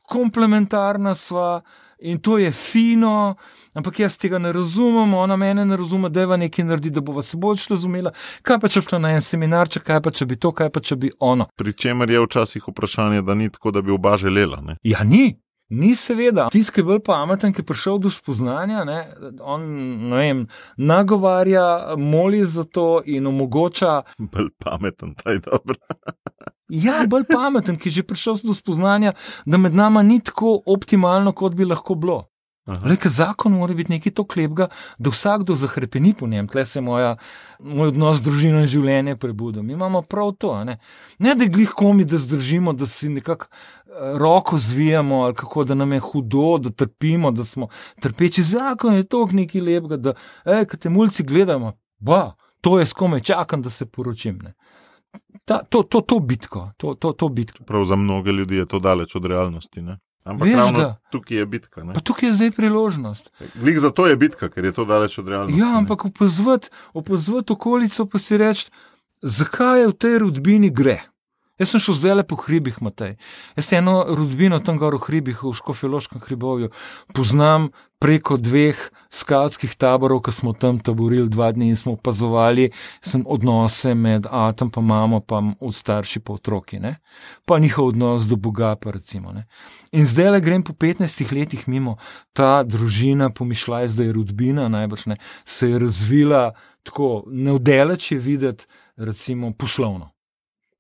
komplementarna sva. In to je fino, ampak jaz tega ne razumem, ona mene ne razume, da je nekaj naredi, da bova se bolj razumela. Kaj pa če bi šla na en seminarček, kaj pa če bi to, kaj pa če bi ono. Pri čemer je včasih vprašanje, da ni tako, da bi oba želela. Ne? Ja, ni. Ni seveda. Tisti, ki je bolj pameten, ki je prišel do spoznanja, ne, on, ne vem, nagovarja, moli za to in omogoča. Bolj pameten, taj dobro. Ja, bolj pameten, ki je že prišel do spoznanja, da med nama ni tako optimalno, kot bi lahko bilo. Lejka, zakon mora biti nekaj to klepga, da vsakdo zahrepeni po njem. Tle se moja, moj odnos z družino in življenje prebudil. Mi imamo prav to, ne, ne da glih komi, da zdržimo, da si nekako roko zvijamo, ali kako, da nam je hudo, da trpimo, da smo trpeči. Zakon je toliko nekaj lepega, da, ej, kad te mulci gledamo, ba, to je skome, čakam, da se poročim, ne. Ta, to, to, to bitko, to, to, to bitko. Prav za mnoge ljudi je to daleč od realnosti, ne? Ampak Veš, ravno da. Tukaj je bitka. Ne? Pa tukaj je zdaj priložnost. Glih zato je bitka, ker je to daleč od realnosti. Ja, ampak opazvati, opazvati okolico pa si reči, zakaj je v tej rodbini gre. Jaz sem šel zdaj le po hribih, Matej. Jaz te eno rodbino tam gor v hribih, v Škofjeloškem hribovju, poznam preko dveh skavtskih taborov, ko smo tam taborili dva dni in smo opazovali sem odnose med atom pa mamo, pa od starši pa otroki, ne. Pa njihov odnos do Boga, pa recimo, ne. In zdaj le grem po petnajstih letih mimo, ta družina, pomišljaj, zdaj je rodbina, najbrž ne, se je razvila tako, neodeleč je videti, recimo, poslovno.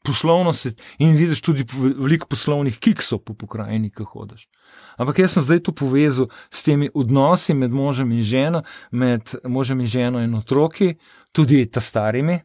Poslovno se, in vidiš tudi veliko poslovnih kiksov po pokrajini, ko hodiš. Ampak jaz sem zdaj to povezal s temi odnosi med možem in ženo, med možem in ženo in otroki, tudi ta starimi,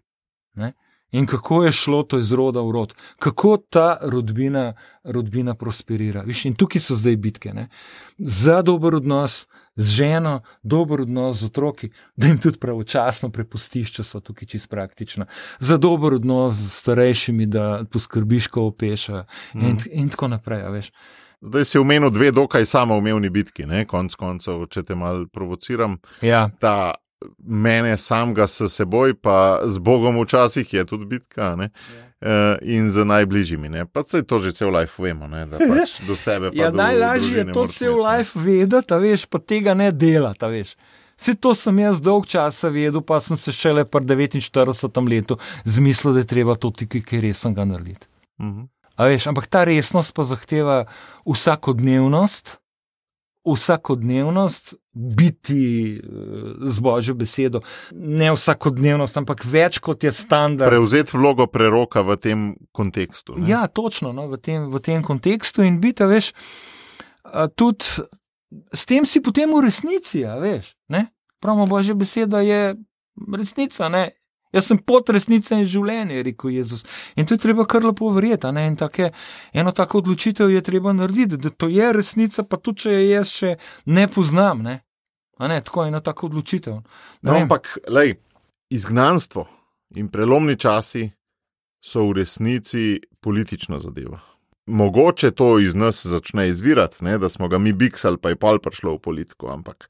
ne? In kako je šlo to iz roda v rod, kako ta rodbina, rodbina prosperira. Viš, in tukaj so zdaj bitke, ne? Za dober odnos z ženo, dober odnos z otroki, da jim tudi pravočasno prepustiš, če so tukaj čisto praktično. Za dober odnos z starejšimi, da poskrbiš, ko opešajo mm. in, in tako naprej, veš. Zdaj si omenil dve dokaj samoumevni bitki, ne, konc koncev, če te malo provociram. Ja. Ta mene samega s seboj, pa z Bogom včasih je tudi bitka, ne? Uh, in z najbližjimi. Ne? Pa se to že cel life vemo, ne? Da pač do sebe pa ja, do najlažje je to cel life vedeti, a veš, pa tega ne delati, a veš. Vse to sem jaz dolg časa vedel, pa sem se šele pri devetinštiridesetem letu zmislil, da je treba to tikaj kaj resnega narediti. Uh-huh. A veš, ampak ta resnost pa zahteva vsakodnevnost, vsakodnevnost, biti z Božjo besedo, ne vsakodnevnost, ampak več kot je standard. Prevzeti vlogo preroka v tem kontekstu. Ne? Ja, točno, no, v tem, v tem kontekstu in biti, a veš, a tudi s tem si potem v resnici, a veš, ne? Pravimo, Božja beseda je resnica, ne? Jaz sem pot resnice in življenje, je rekel Jezus. In to je treba kar lepo verjeti, ne? In take, eno tako odločitev je treba narediti, da to je resnica, pa tudi, če je jaz še ne poznam, ne? A ne, tako eno tako odločitev. No, ampak, lej, izgnanstvo in prelomni časi so v resnici politična zadeva. Mogoče to iz nas začne izvirati, ne? Da smo ga mi biksali, pa je pol prišlo v politiko, ampak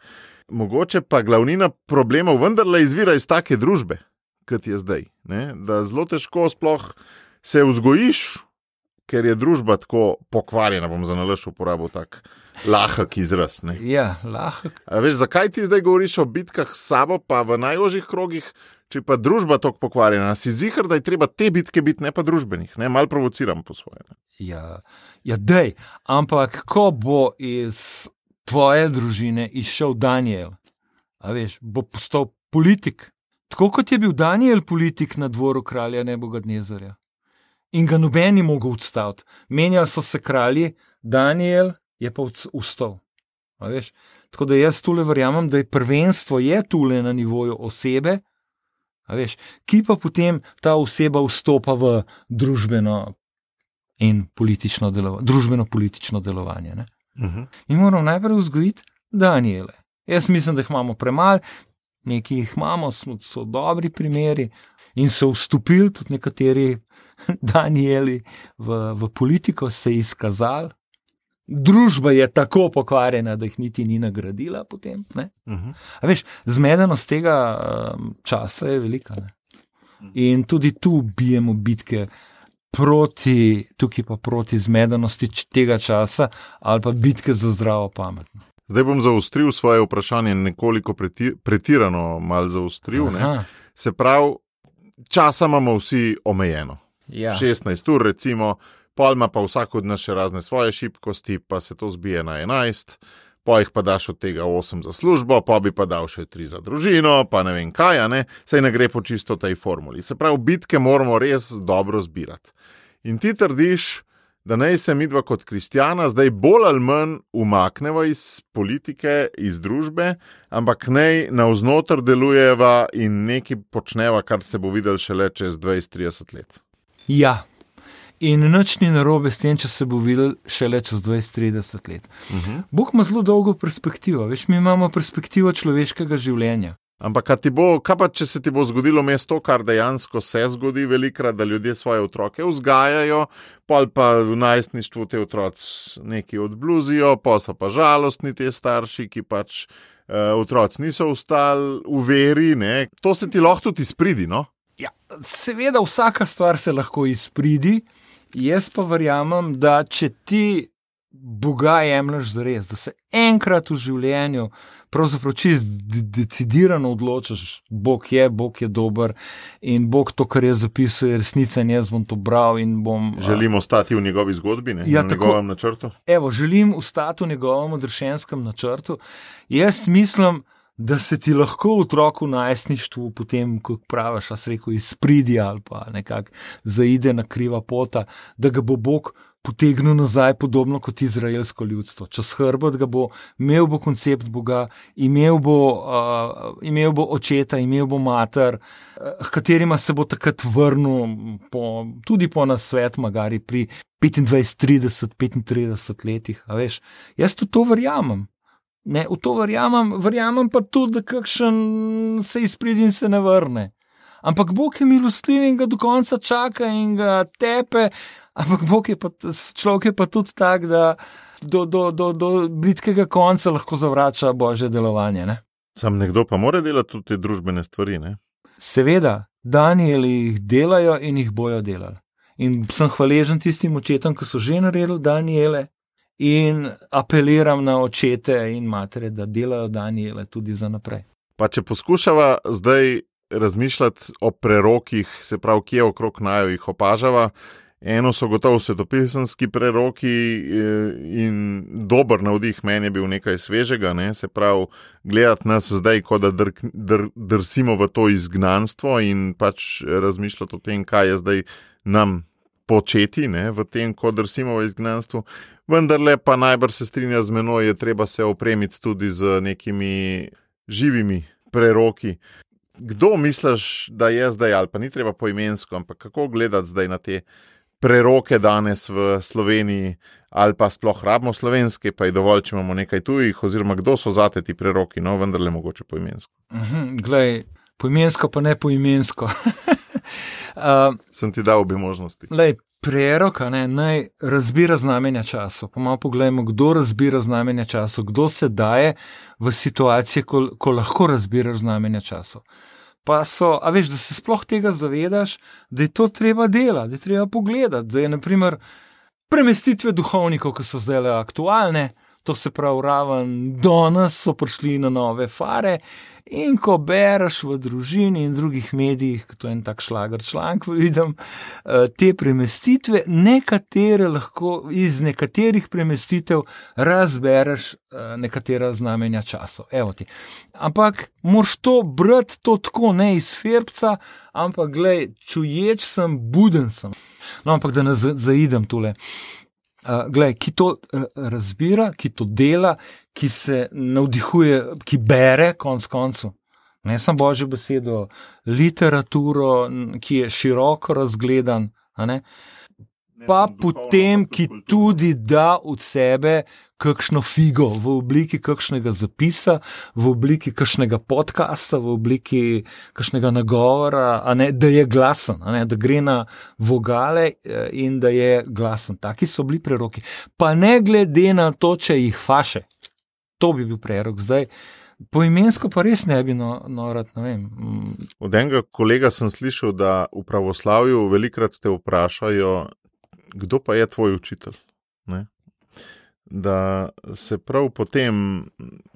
mogoče pa glavnina problemov vendarle izvira iz take družbe, kot je zdaj, ne? Da zelo težko sploh se vzgojiš, ker je družba tako pokvarjena, bom za nalaž uporabil tak lahek izraz. Ne? Ja, lahek. A veš, zakaj ti zdaj govoriš o bitkah s sabo, pa v najožjih krogih, če pa družba tako pokvarjena? Si ziher, da je treba te bitke biti, ne pa družbenih, ne? Mal provociram po svoje. Ne? Ja, ja, dej, ampak ko bo iz tvoje družine izšel Daniel, a veš, bo postal politik, tako kot je bil Daniel politik na dvoru kralja Nebukadnezarja. In ga noben ni mogel odstaviti. Menjali so se kralji, Daniel je pa vstal. A veš? Tako da jaz tule verjamem, da je prvenstvo je tule na nivoju osebe, a veš, ki pa potem ta oseba vstopa v družbeno in politično delovanje, družbeno-politično delovanje. Ne? Uh-huh. Mi moramo najprej vzgojiti Daniele. Jaz mislim, da jih imamo premalo, nekaj jih imamo, so, so dobri primeri in so vstopili tudi nekateri Danieli v, v politiko, se izkazali. Družba je tako pokvarjena, da jih niti ni nagradila potem. Ne? Uh-huh. A veš, zmedenost tega um, časa je velika. Ne? In tudi tu bijemo bitke proti, tukaj pa proti zmedenosti tega časa ali pa bitke za zdravo pamet. Zdaj bom zaostril svoje vprašanje, nekoliko preti, pretirano mal zaostril. Ne? Se pravi, časa imamo vsi omejeno. Ja. šestnajst ur recimo, pol ima pa vsak od nas še razne svoje šibkosti, pa se to zbije na enajst, pa jih pa daš od tega osem za službo, pa bi pa dal še tri za družino, pa ne vem kaj, ne? Saj ne gre po čisto tej formuli. Se pravi, bitke moramo res dobro zbirati. In ti trdiš, da naj se midva kot kristjana zdaj bolj ali manj umakneva iz politike, iz družbe, ampak naj navznoter delujeva in nekaj počneva, kar se bo videl šele čez dvajset trideset let. Ja, in nič ni narobe s tem, če se bo videl šele čez dvajset trideset let. Uh-huh. Bog ima zelo dolgo perspektivo, veš, mi imamo perspektivo človeškega življenja. Ampak kaj, ti bo, kaj pa, če se ti bo zgodilo mesto, kar dejansko se zgodi velikrat, da ljudje svoje otroke vzgajajo, pol pa v najstništvu te otroci nekaj odbluzijo, pa so pa žalostni te starši, ki pač uh, otroci niso ostali v veri, ne? To se ti lahko tudi izpridi, no? Ja, seveda vsaka stvar se lahko izpridi, jaz pa verjamem, da če ti Boga jemlješ zares, da se enkrat v življenju pravzaprav čist decidirano odločiš, Bog je, Bog je dober in Bog to, kar je zapisal, je resnica in jaz bom to bral in bom... Želim ostati v njegovi zgodbi, ne? Ja, v tako, njegovem načrtu? Evo, želim ostati v njegovem odrešenskem načrtu. Jaz mislim, da se ti lahko otrok v najstništvu potem, kot praviš, jaz rekel, izpridi ali pa nekako zaide na kriva pota, da ga bo Bog potegnil nazaj, podobno kot izraelsko ljudstvo. Čez hrbet ga bo, imel bo koncept Boga, imel bo, uh, imel bo očeta, imel bo mater, uh, katerima se bo takrat vrnil po, tudi po nasvet, magari pri petindvajset, trideset, petintrideset letih. A veš, jaz tudi to verjamem. Ne, v to verjamem, verjamem pa tudi, da kakšen se izpridi in se ne vrne. Ampak Bog je milostljiv in ga do konca čaka in ga tepe, ampak Bog je pa, človek je pa tudi tak, da do, do, do, do blitkega konca lahko zavrača Božje delovanje. Ne? Sam nekdo pa mora delati tudi te družbene stvari, ne? Seveda, Danieli jih delajo in jih bojo delali. In sem hvaležen tistim očetom, ki so že naredili Daniele, in apeliram na očete in matere, da delajo Daniele tudi za naprej. Pa če poskušava zdaj razmišljati o prerokih, se pravi, kje okrog naju jih opažava, eno so gotovo svetopisemski preroki in dober navdih meni je bil nekaj svežega, ne? Se pravi, gledati nas zdaj, kot da dr, dr, drsimo v to izgnanstvo in pač razmišljati o tem, kaj je zdaj nam početi, ne? V tem, ko drsimo v izgnanstvu. Vendarle pa najbrž se strinja z menoj, je treba se opremiti tudi z nekimi živimi preroki. Kdo misliš, da je zdaj, ali pa ni treba poimensko, ampak kako gledati zdaj na te preroke danes v Sloveniji, ali pa sploh rabimo slovenske, pa je dovolj, če imamo nekaj tujih, oziroma kdo so zate ti preroki, no vendarle mogoče poimensko. Mhm, glej, poimensko pa ne poimensko. uh, Sem ti dal obi možnosti. Glej, prerok, ne, naj razbira znamenja časov. Pa malo pogledajmo, kdo razbira znamenja časov, kdo se daje v situacije, ko, ko lahko razbiraš znamenja časov. Pa so, a veš, da se sploh tega zavedaš, da je to treba delati, da je treba pogledati, da je naprimer premestitve duhovnikov, ki so zdaj le aktualne, to se pravi raven danes so prišli na nove fare in ko bereš v družini in drugih medijih, to je en tak šlager članek, vidim, te premestitve, nekatere lahko iz nekaterih premestitev razbereš nekatera znamenja časov. Evo ti. Ampak moraš to brati to tako, ne iz ferbca, ampak glej, čuječ sem, buden sem. No, ampak da ne zaidem tule. Uh, glej, ki to uh, razbira, ki to dela, ki se navdihuje, ki bere konc koncu. Ne samo Božjo besedo, literaturo, ki je široko razgledan, a ne? Pa potem, ki tudi da od sebe kakšno figo v obliki kakšnega zapisa, v obliki kakšnega podcasta, v obliki kakšnega nagovora, a ne, da je glasen, a ne, da gre na vogale in da je glasen. Taki so bili preroki. Pa ne glede na to, če jih faše. To bi bil prerok. Zdaj, poimensko pa res ne bi no, norat, ne vem. Od enega kolega sem slišal, da v pravoslavju velikrat te vprašajo, kdo pa je tvoj učitelj, ne? Da se prav potem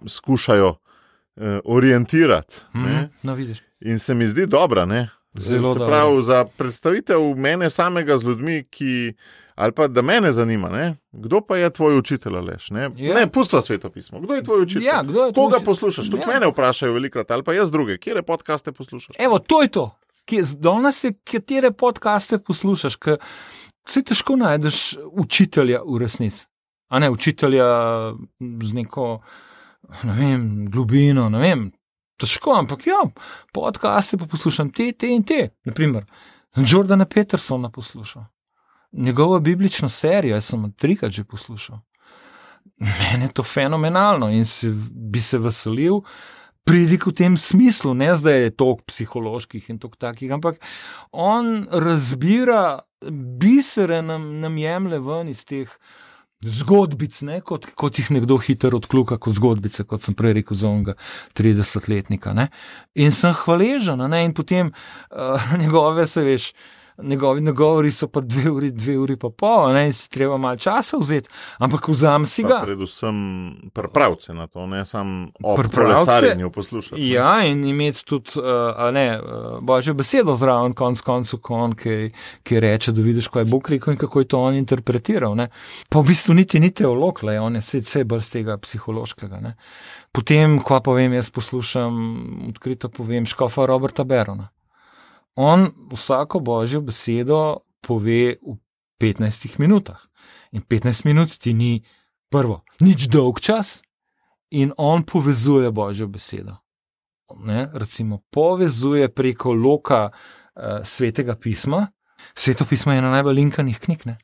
skušajo eh, orientirati. Mm, no, vidiš. In se mi zdi dobra, ne? Zelo se pravi, za predstavitev mene samega z ljudmi, ki, ali pa da mene zanima, ne? Kdo pa je tvoj učitelj, Aleš, ne? Ja. Ne, pustva svetopismo. Kdo je tvoj učitelj? Ja, kdo je tvoj Koga učitelj? poslušaš? Tudi ja. Mene vprašajo velikrat, ali pa jaz druge. Kjere podcaste poslušaš? Evo, to je to. Danes je, katere podcaste poslušaš, ker se težko najdeš učitelja v resnici. A ne, učitelja z neko, ne vem, globino, ne vem, težko, ampak ja, podcaste pa poslušam te, te in te. Naprimer, Jordana Petersona poslušal. Njegovo biblično serijo, jaz sem trikrat že poslušal. Mene je to fenomenalno in si, bi se veselil pridik v tem smislu, ne zdaj je toliko psiholoških in toliko takih, ampak on razbira bisere, nam, nam jemlje ven iz teh zgodbic, ne, kot, kot jih nekdo hiter odkluka kot zgodbice, kot sem prej rekel za onega tridesetletnika. Ne. In sem hvaležen, ne, in potem uh, njegove, se veš, njegovi nagovori so pa dve uri, dve uri pa pol, ne, in si treba malo časa vzeti, ampak vzam si ga. Pa predvsem pripravce na to, ne sam o kolesarjenju poslušati. Ne? Ja, in imeti tudi, uh, a ne, uh, Božjo besedo zraven, konc koncu, kon, ki, ki reče, da vidiš, kaj je Bog rekel in kako je to on interpretiral, ne. Pa v bistvu niti ni teolog, le, on je vse bolj z tega psihološkega, ne. Potem, kva povem, jaz poslušam, odkrito povem, škofa Roberta Berona. On vsako Božjo besedo pove v petnajstih minutah. In petnajst minut ti ni prvo, nič dolg čas in on povezuje Božjo besedo. Ne? Recimo, povezuje preko loka uh, Svetega pisma. Sveto pismo je ena najbolj linkanih knjig, ne?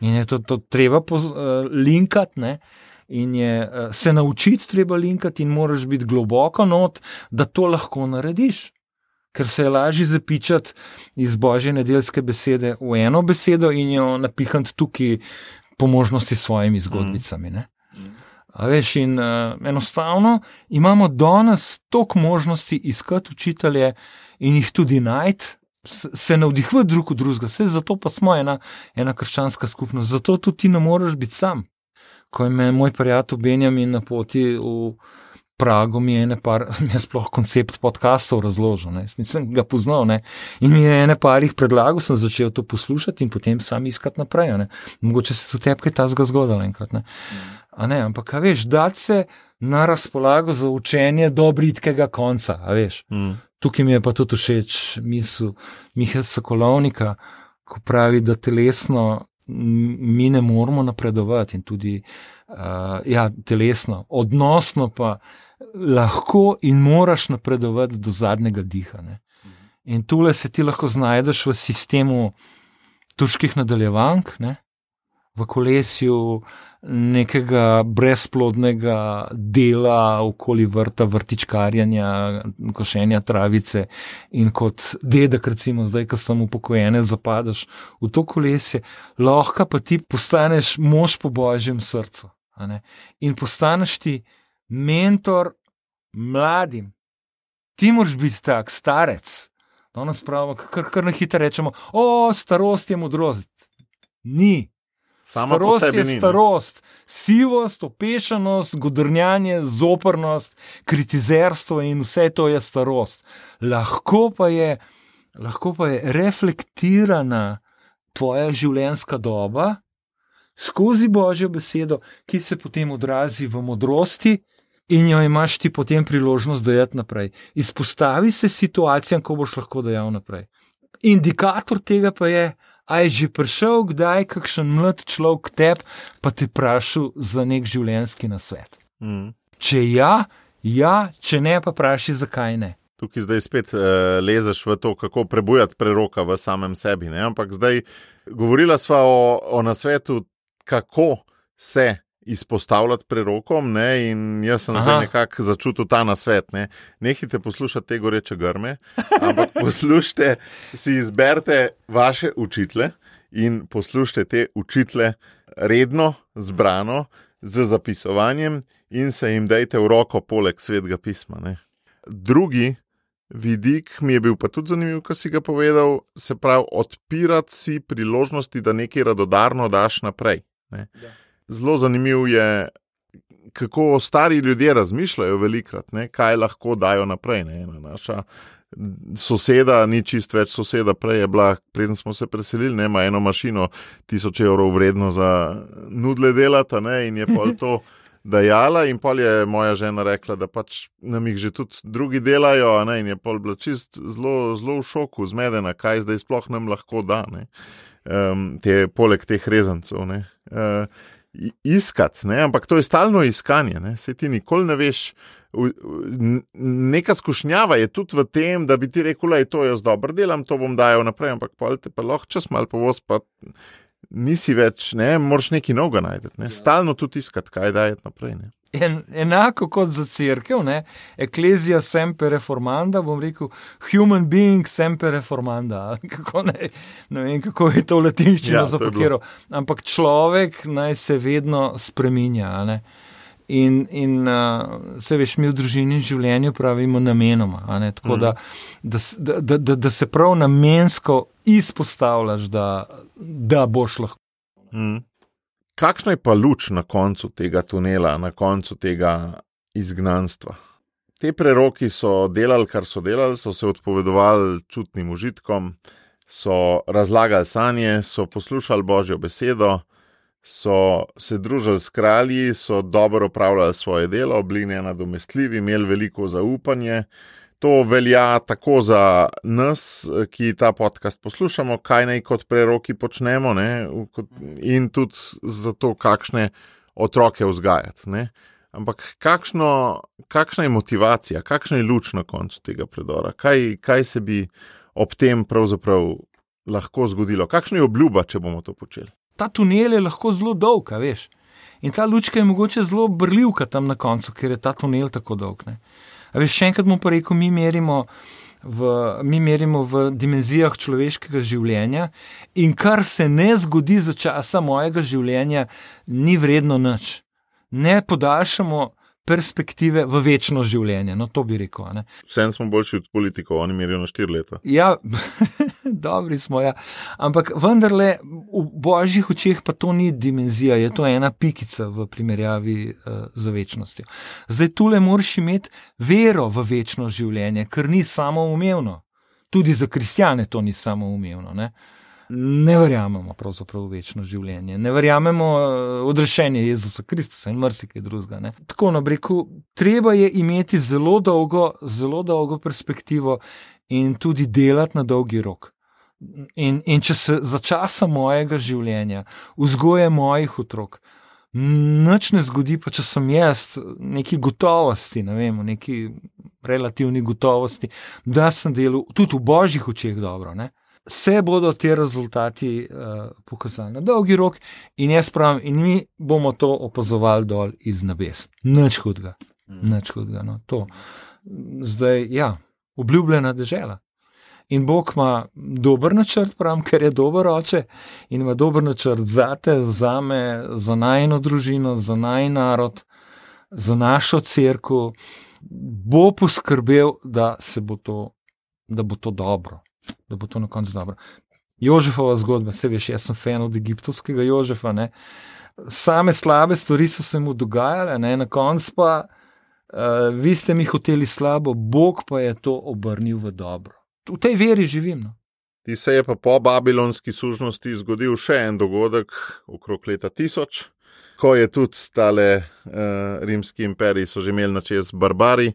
In je to, to treba poz, uh, linkati, ne? In je uh, se naučiti treba linkati in moraš biti globoko not, da to lahko narediš. Ker se je lažje zapičati iz Božje nedeljske besede v eno besedo in jo napihati tukaj po možnosti s svojimi zgodbicami. Ne? A veš, in uh, enostavno imamo danes toliko možnosti iskati učitelje in jih tudi najti, se navdihvati drug od drugega, vse zato pa smo ena, ena krščanska skupnost, zato tudi ti ne moreš biti sam. Ko je me moj prijatelj Benjamin na poti v Pragu, mi je ene par, mi je sploh koncept podcastov razložil, ne, nisem ga poznal, ne, in mi je ene par jih predlagal, sem začel to poslušati in potem sam iskati naprej, ne, mogoče se tudi tebi kaj tazga zgodilo enkrat, ne, a ne, ampak, a veš, dati se na razpolago za učenje do britkega konca, a veš, mm. Tukaj mi je pa tudi všeč misel Mihe Sokolovnika, ko pravi, da telesno mi ne moramo napredovati in tudi, uh, ja, telesno, odnosno pa lahko in moraš napredovati do zadnjega diha, ne. In tule se ti lahko znajdeš v sistemu turških nadaljevank, ne, v kolesju nekega brezplodnega dela okoli vrta, vrtičkarjanja, košenja travice in kot dedek, recimo zdaj, ko sem upokojene, zapadaš v to kolesje, lahko pa ti postaneš mož po božjem srcu, a ne? In postaneš ti mentor mladim. Ti moraš biti tak, starec. Danes pravimo, kar, kar na hitro rečemo, o, starost je modrost. Ni. Sama starost je ni, starost, sivost, opešanost, godrnjanje, zoprnost, kritizerstvo in vse to je starost. Lahko pa je, lahko pa je reflektirana tvoja življenjska doba skozi Božjo besedo, ki se potem odrazi v modrosti in jo imaš ti potem priložnost dajati naprej. Izpostavi se situacijam, ko boš lahko dajal naprej. Indikator tega pa je, a je že prišel kdaj kakšen mlad človek k tebi, pa te vprašal za nek življenjski nasvet. Mm. Če ja, ja, če ne, pa vprašaj, zakaj ne. Tukaj zdaj spet uh, lezeš v to, kako prebujati preroka v samem sebi, ne? Ampak zdaj govorila sva o, o nasvetu, kako se izpostavljati prerokom, ne? In jaz sem Aha. zdaj nekako začutil ta nasvet, ne? Nehajte poslušati te goreče grme, ampak poslušajte, si izberite vaše učitele in poslušajte te učitele redno, zbrano, z zapisovanjem in se jim dajte v roko poleg Svetega pisma, ne? Drugi vidik mi je bil pa tudi zanimiv, ko si ga povedal, se pravi, odpirati si priložnosti, da nekaj radodarno daš naprej, ne? Ja. Zelo zanimiv je, kako stari ljudje razmišljajo velikrat, ne, kaj lahko dajo naprej. Ne. Naša soseda, ni čist več soseda, prej je bila, preden smo se preselili, ne, ima eno mašino tisoč evrov vredno za nudle delata, ne, in je pol to dajala in pol je moja žena rekla, da pač nam jih že tudi drugi delajo, ne, in je pol bila čist zelo, zelo v šoku, zmedena, kaj zdaj sploh nam lahko da, ne, um, te, poleg teh rezancev, ne. Uh, iskati, ne? Ampak to je stalno iskanje, ne? Saj ti nikoli ne veš, neka skušnjava je tudi v tem, da bi ti rekel, da je to jaz dobro delam, to bom dajal naprej, ampak pol te pa lahko čas malo povoz, pa nisi več, ne, moraš nekaj novega najti, ne, stalno tudi iskati, kaj dajati naprej, ne. En, enako kot za cerkev, ne, Ecclesia semper reformanda, bom rekel, human being semper reformanda, kako ne, ne vem, kako je to v latinščino ja, zapakiral, ampak človek naj se vedno spreminja, ne, in, in uh, se veš, mi v družini in življenju pravimo namenoma, ne, tako mm. da, da, da, da, da se prav namensko izpostavljaš, da, da boš lahko. Mm. Kakšna je pa luč na koncu tega tunela, na koncu tega izgnanstva? Te preroki so delali, kar so delali, so se odpovedovali čutnim užitkom, so razlagali sanje, so poslušali Božjo besedo, so se družili s kralji, so dobro opravljali svoje delo, bili nenadomestljivi, imeli veliko zaupanje. To velja tako za nas, ki ta podcast poslušamo, kaj naj kot preroki počnemo, ne? In tudi za to, kakšne otroke vzgajati. Ne? Ampak kakšno, kakšna je motivacija, kakšna je luč na koncu tega predora? Kaj, kaj se bi ob tem pravzaprav lahko zgodilo? Kakšna je obljuba, če bomo to počeli? Ta tunel je lahko zelo dolg, veš. In ta lučka je mogoče zelo brljivka tam na koncu, ker je ta tunel tako dolg, ne. A veš, še enkrat mu pa rekel, mi merimo, v, mi merimo v dimenzijah človeškega življenja in kar se ne zgodi za časa mojega življenja, ni vredno nič. ne podaljšamo perspektive v večno življenje. No, to bi rekel. Ne? Vsem smo boljši od politikov, oni merijo na štiri leta. Ja, dobri smo, ja. Ampak vendarle v božjih očeh pa to ni dimenzija, je to ena pikica v primerjavi uh, z večnostjo. Zdaj tule moraš imeti vero v večno življenje, ker ni samoumevno. Tudi za kristjane to ni samoumevno, ne. Ne verjamemo pravzaprav v večno življenje, ne verjamemo odrešenje Jezusa Kristusa in marsikaj drugega. Ne. Tako na breku, treba je imeti zelo dolgo, zelo dolgo perspektivo in tudi delati na dolgi rok. In, in če se za časa mojega življenja, vzgoje mojih otrok, nič ne zgodi, pa če sem jaz neki gotovosti, ne vem, neki relativni gotovosti, da sem delal tudi v božjih očeh dobro, ne. Se bodo te rezultati uh, pokazali na dolgi rok in jaz pravim, in mi bomo to opazovali dol iz nebes. Nič hudega, nič hudega, no, to. Zdaj, ja, obljubljena dežela. In Bog ima dober načrt, pravim, ker je dober oče in ima dober načrt zate, zame, za najino družino, za najin narod, za našo cerkev. Bo poskrbel, da se bo to, da bo to dobro. da bo to na koncu dobro. Jožefova zgodba, se veš, jaz sem fan od egiptovskega Jožefa, ne. Same slabe stvari so se mu dogajale, ne, na koncu pa uh, vi ste mi hoteli slabo, Bog pa je to obrnil v dobro. V tej veri živim, no. Ti se je pa po babilonski sužnosti zgodil še en dogodek okrog leta tisoč, ko je tudi tale uh, rimski imperij so že imeli na čez barbari,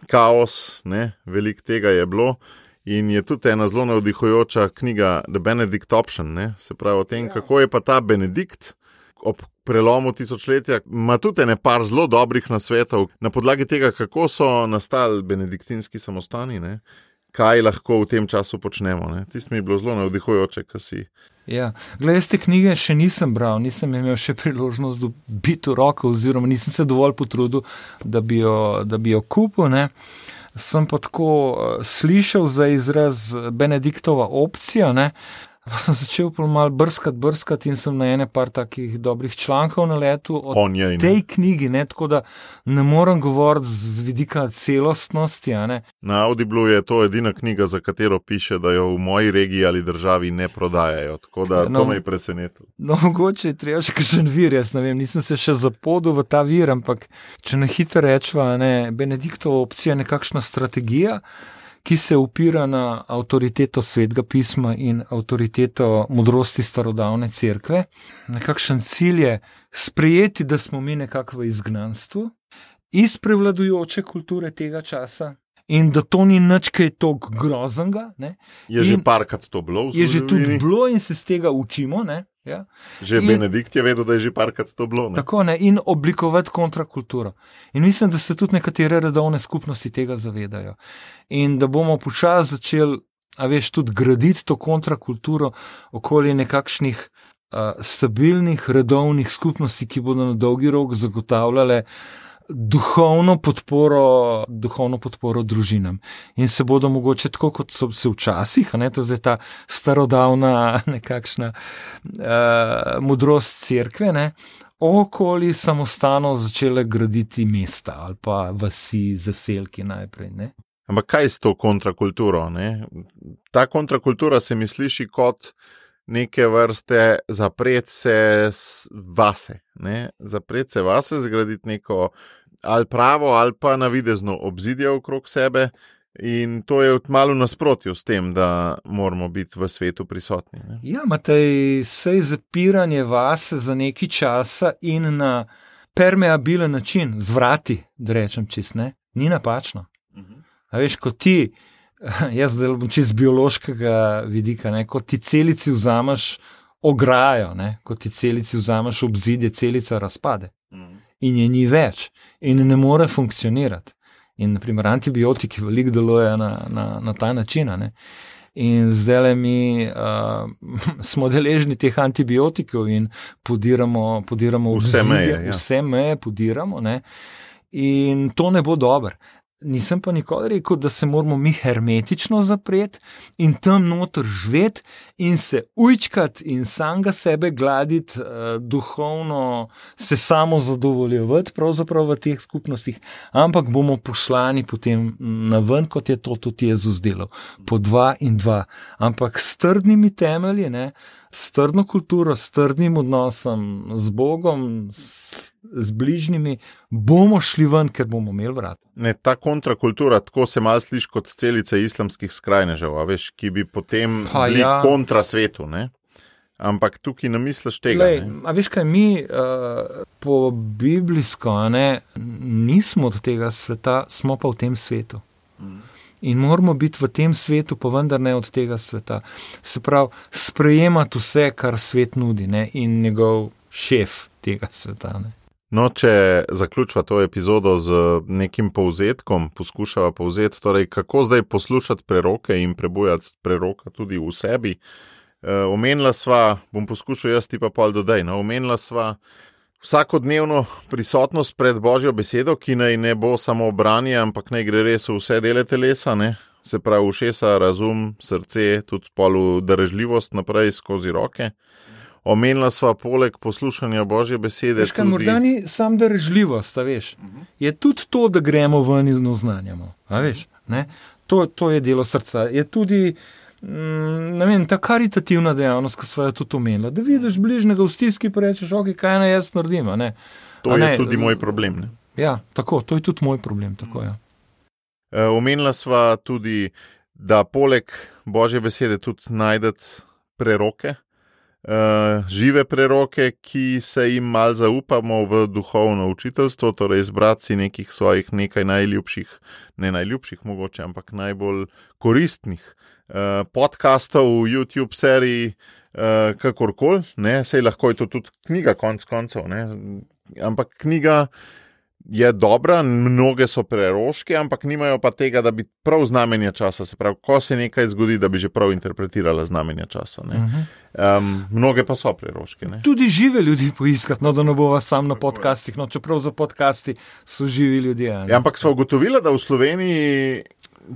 kaos, ne, veliko tega je bilo. In je tudi ena zelo navdihujoča knjiga The Benedict Option, ne? Se pravi o tem, ja. Kako je pa ta Benedikt ob prelomu tisočletja, ima tudi ene par zelo dobrih nasvetov na podlagi tega, kako so nastali benediktinski samostani, ne? Kaj lahko v tem času počnemo. Ne? Tisto mi je bilo zelo navdihujoče, kaj si. Ja, glede, jaz te knjige še nisem bral, nisem imel še priložnost biti v roko, oziroma nisem se dovolj potrudil, da bi jo, da bi jo kupil, ne. Sem pa tako slišal za izraz Benediktova opcija, ne, pa sem začel malo brskati, brskati in sem na ene par takih dobrih člankov naletel o je, tej knjigi, ne, tako da ne morem govoriti z vidika celostnosti, a ne. Na Audible je to edina knjiga, za katero piše, da jo v moji regiji ali državi ne prodajajo, tako da no, to me je presenetilo. No, mogoče je treba še kakšen vir, jaz ne vem, nisem se še zapodil v ta vir, ampak če na hitro rečva, ne, Benediktova opcija je nekakšna strategija, ki se upira na avtoriteto Svetega pisma in avtoriteto modrosti starodavne cerkve. Nekakšen cilj je sprejeti, da smo mi nekako v izgnanstvu iz prevladujoče kulture tega časa in da to ni nič kaj toliko groznega. Ne? Je že parkrat to bilo v zgodovini. Je že tudi bilo in se z tega učimo, ne? Ja. Že in, Benedikt je vedel, da je že parkrat to bilo. Ne? Tako, ne, in oblikovati kontrakulturo. In mislim, da se tudi nekatere redovne skupnosti tega zavedajo. In da bomo počasi začeli, a veš, tudi graditi to kontrakulturo okoli nekakšnih uh, stabilnih redovnih skupnosti, ki bodo na dolgi rok zagotavljale duhovno podporo, duhovno podporo družinam. In se bodo mogoče tako, kot so se včasih, ne, to je zdaj ta starodavna nekakšna uh, modrost cerkve, ne, okoli samostanov začele graditi mesta ali pa vasi, zaselki najprej, ne. Ampak kaj s to kontrakulturo, ne? Ta kontrakultura se mi sliši kot neke vrste zapret se vase, ne? Zapret se vase, zgraditi neko ali pravo ali pa navidezno obzidje okrog sebe in to je malo nasprotju s tem, da moramo biti v svetu prisotni. Ne? Ja, Matej, sej zapiranje vase za nekaj časa in na permeabilen način, z vrati, da rečem čist, ne, ni napačno. Uh-huh. A veš, ko ti, jaz zdaj bom čist z biološkega vidika, ne, ko ti celici vzameš ograjo, ne, ko ti celici vzameš obzidje, celica razpade. Uh-huh. In je ni več in ne more funkcionirati. In naprimer antibiotiki veliko delujejo na, na, na ta način. Ne? In zdaj mi uh, smo deležni teh antibiotikov in podiramo, podiramo vse obzidje, meje, ja. vse meje podiramo, ne? In to ne bo dobro. nisem pa nikoli rekel, da se moramo mi hermetično zapreti in tam noter živeti in se ujčkati in samega sebe gladiti, uh, duhovno se samo zadovoljevati pravzaprav v teh skupnostih, ampak bomo poslani potem na ven, kot je to tudi Jezus delal, po dva in dva, ampak s trdnimi temelji, ne, s trdno kulturo, s trdnim odnosom z Bogom, s z bližnjimi, bomo šli ven, ker bomo imeli vrat. Ne, ta kontrakultura, tako se malo sliši kot celice islamskih skrajnežev, a veš, ki bi potem Pa bili ja. kontra svetu, ne? Ampak tukaj ne misliš tega. Lej, ne? a veš kaj, mi uh, po biblijsko, ne, nismo od tega sveta, smo pa v tem svetu. In moramo biti v tem svetu, pa vendar ne od tega sveta. Se pravi, sprejemati vse, kar svet nudi, ne, in njegov šef tega sveta, ne. No, če zaključva to epizodo z nekim povzetkom, poskušava povzeti, torej kako zdaj poslušati preroke in prebujati preroka tudi v sebi. E, omenila sva, bom poskušal jaz ti pa pol dodaj, no, omenila sva vsakodnevno prisotnost pred Božjo besedo, ki naj ne bo samo branje, ampak naj gre res v vse dele telesa, ne? Se pravi ušesa, razum, srce, tudi pol darežljivost naprej skozi roke. Omenila sva poleg poslušanja Božje besede Veš kaj, tudi... morda ni sam darežljivost, a veš. Je tudi to, da gremo ven in oznanjamo, a veš, ne. To, to je delo srca. Je tudi, mm, ne vem, ta karitativna dejavnost, ki sva jo tudi omenila, da vidiš bližnjega v stiski, pa rečeš, ok, kaj naj jaz naredim, a ne. To A je ne, tudi moj problem, ne. Ja, tako, to je tudi moj problem, tako, ja. E, omenila sva tudi, da poleg Božje besede tudi najdeti preroke, Uh, žive preroke, ki se jim mal zaupamo v duhovno učiteljstvo, torej izbrati si nekih svojih nekaj najljubših, ne najljubših mogoče, ampak najbolj koristnih uh, podcastov v YouTube seriji, uh, kakorkoli, ne, sej lahko je to tudi knjiga konc koncev, ne, ampak knjiga je dobra, mnoge so preroške, ampak nimajo pa tega, da bi prav znamenja časa, se pravi, ko se nekaj zgodi, da bi že prav interpretirala znamenja časa, ne. Uh-huh. Um, mnoge pa so preroške, ne. Tudi žive ljudi poiskati, no, da ne bova sam na podcastih, no, čeprav za podcasti so živi ljudje. Ja, ampak sva ugotovila, da v Sloveniji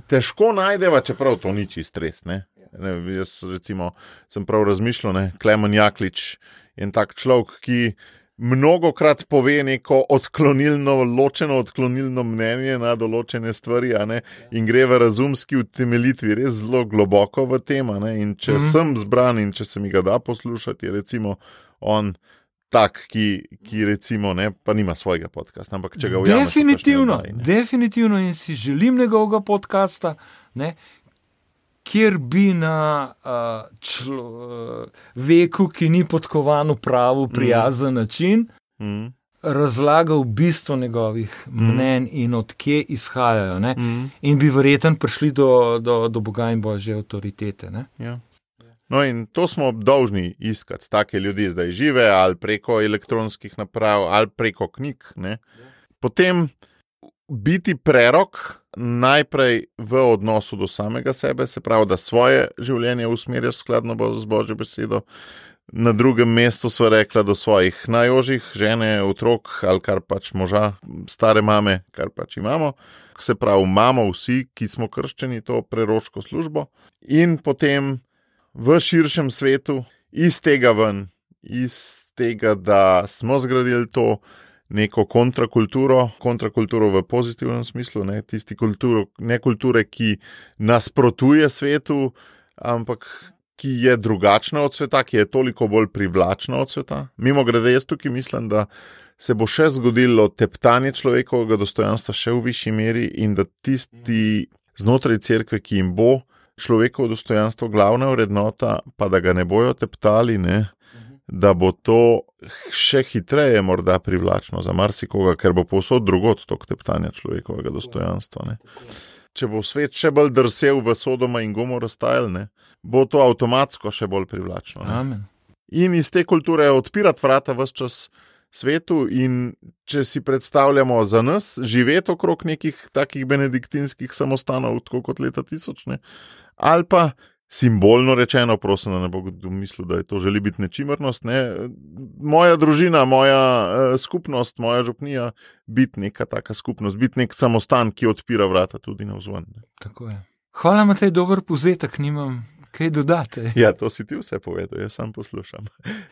težko najdeva, čeprav to ni čist res, ne. Ne, jaz recimo sem prav razmišljal, ne, Klemen Jaklič je en tak človek, ki mnogokrat pove neko odklonilno, ločeno odklonilno mnenje na določene stvari, a ne, in gre v razumski utemeljitvi res zelo globoko v tem, a ne, in če mm-hmm. sem zbran in če se mi ga da poslušati, je recimo on tak, ki, ki recimo, ne, pa nima svojega podcasta, ampak če ga ujameš... Definitivno, definitivno in si želim njegovega podcasta, ne, kjer bi na uh, člo, uh, veku, ki ni podkovan v pravu, prijazen mm. način, mm. razlagal bistvo njegovih mm. mnenj in odkje izhajajo. Ne? Mm. In bi verjetno prišli do, do, do Boga in Božje avtoritete. Ne? Ja. No in to smo dolžni iskati, take ljudi zdaj žive, ali preko elektronskih naprav, ali preko knjig. Ne? Potem biti prerok najprej v odnosu do samega sebe, se pravi, da svoje življenje usmerjaš skladno z Božjo besedo. Na drugem mestu sva rekla do svojih najožjih, žene, otrok ali kar pač moža, stare mame, kar pač imamo. Se pravi, imamo vsi, ki smo krščeni, to preroško službo. In potem v širšem svetu, iz tega ven, iz tega, da smo zgradili to neko kontrakulturo, kontrakulturo v pozitivnem smislu, ne, tisti kulturo, ne kulture, ki nasprotuje svetu, ampak ki je drugačna od sveta, ki je toliko bolj privlačna od sveta. Mimogrede, jaz tukaj mislim, da se bo še zgodilo teptanje človekovega dostojanstva še v višji meri in da tisti znotraj cerkve, ki jim bo človekovo dostojanstvo glavna vrednota, pa da ga ne bojo teptali, ne, da bo to še hitreje morda privlačno za marsikoga, ker bo povsod drugod tok teptanja človekovega dostojanstva. Ne. Če bo svet še bolj drsel v Sodoma in Gomoro style, ne, bo to avtomatsko še bolj privlačno. Ne. Amen. In iz te kulture odpirati vrata ves čas svetu in če si predstavljamo za nas živeti okrog nekih takih benediktinskih samostanov, tako kot leta tisoč, ne, ali pa simbolno rečeno, prosim, da ne bo kdo mislil, da je to želi biti nečimrnost. Ne? Moja družina, moja uh, skupnost, moja župnija, biti neka taka skupnost, biti nek samostan, ki odpira vrata tudi navzven. Tako je. Hvala, Matej, dober povzetek, nimam kaj dodati. Ja, to si ti vse povedal, jaz sam poslušam.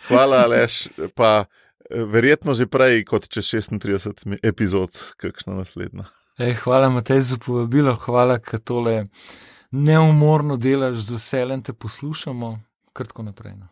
Hvala, Aleš, pa verjetno že prej kot čez šestintrideset epizod, kakšna naslednja. Ej, hvala, Matej, za povabilo, hvala, ker tole neumorno delaš, z veseljem te poslušamo, kar tako naprej. No.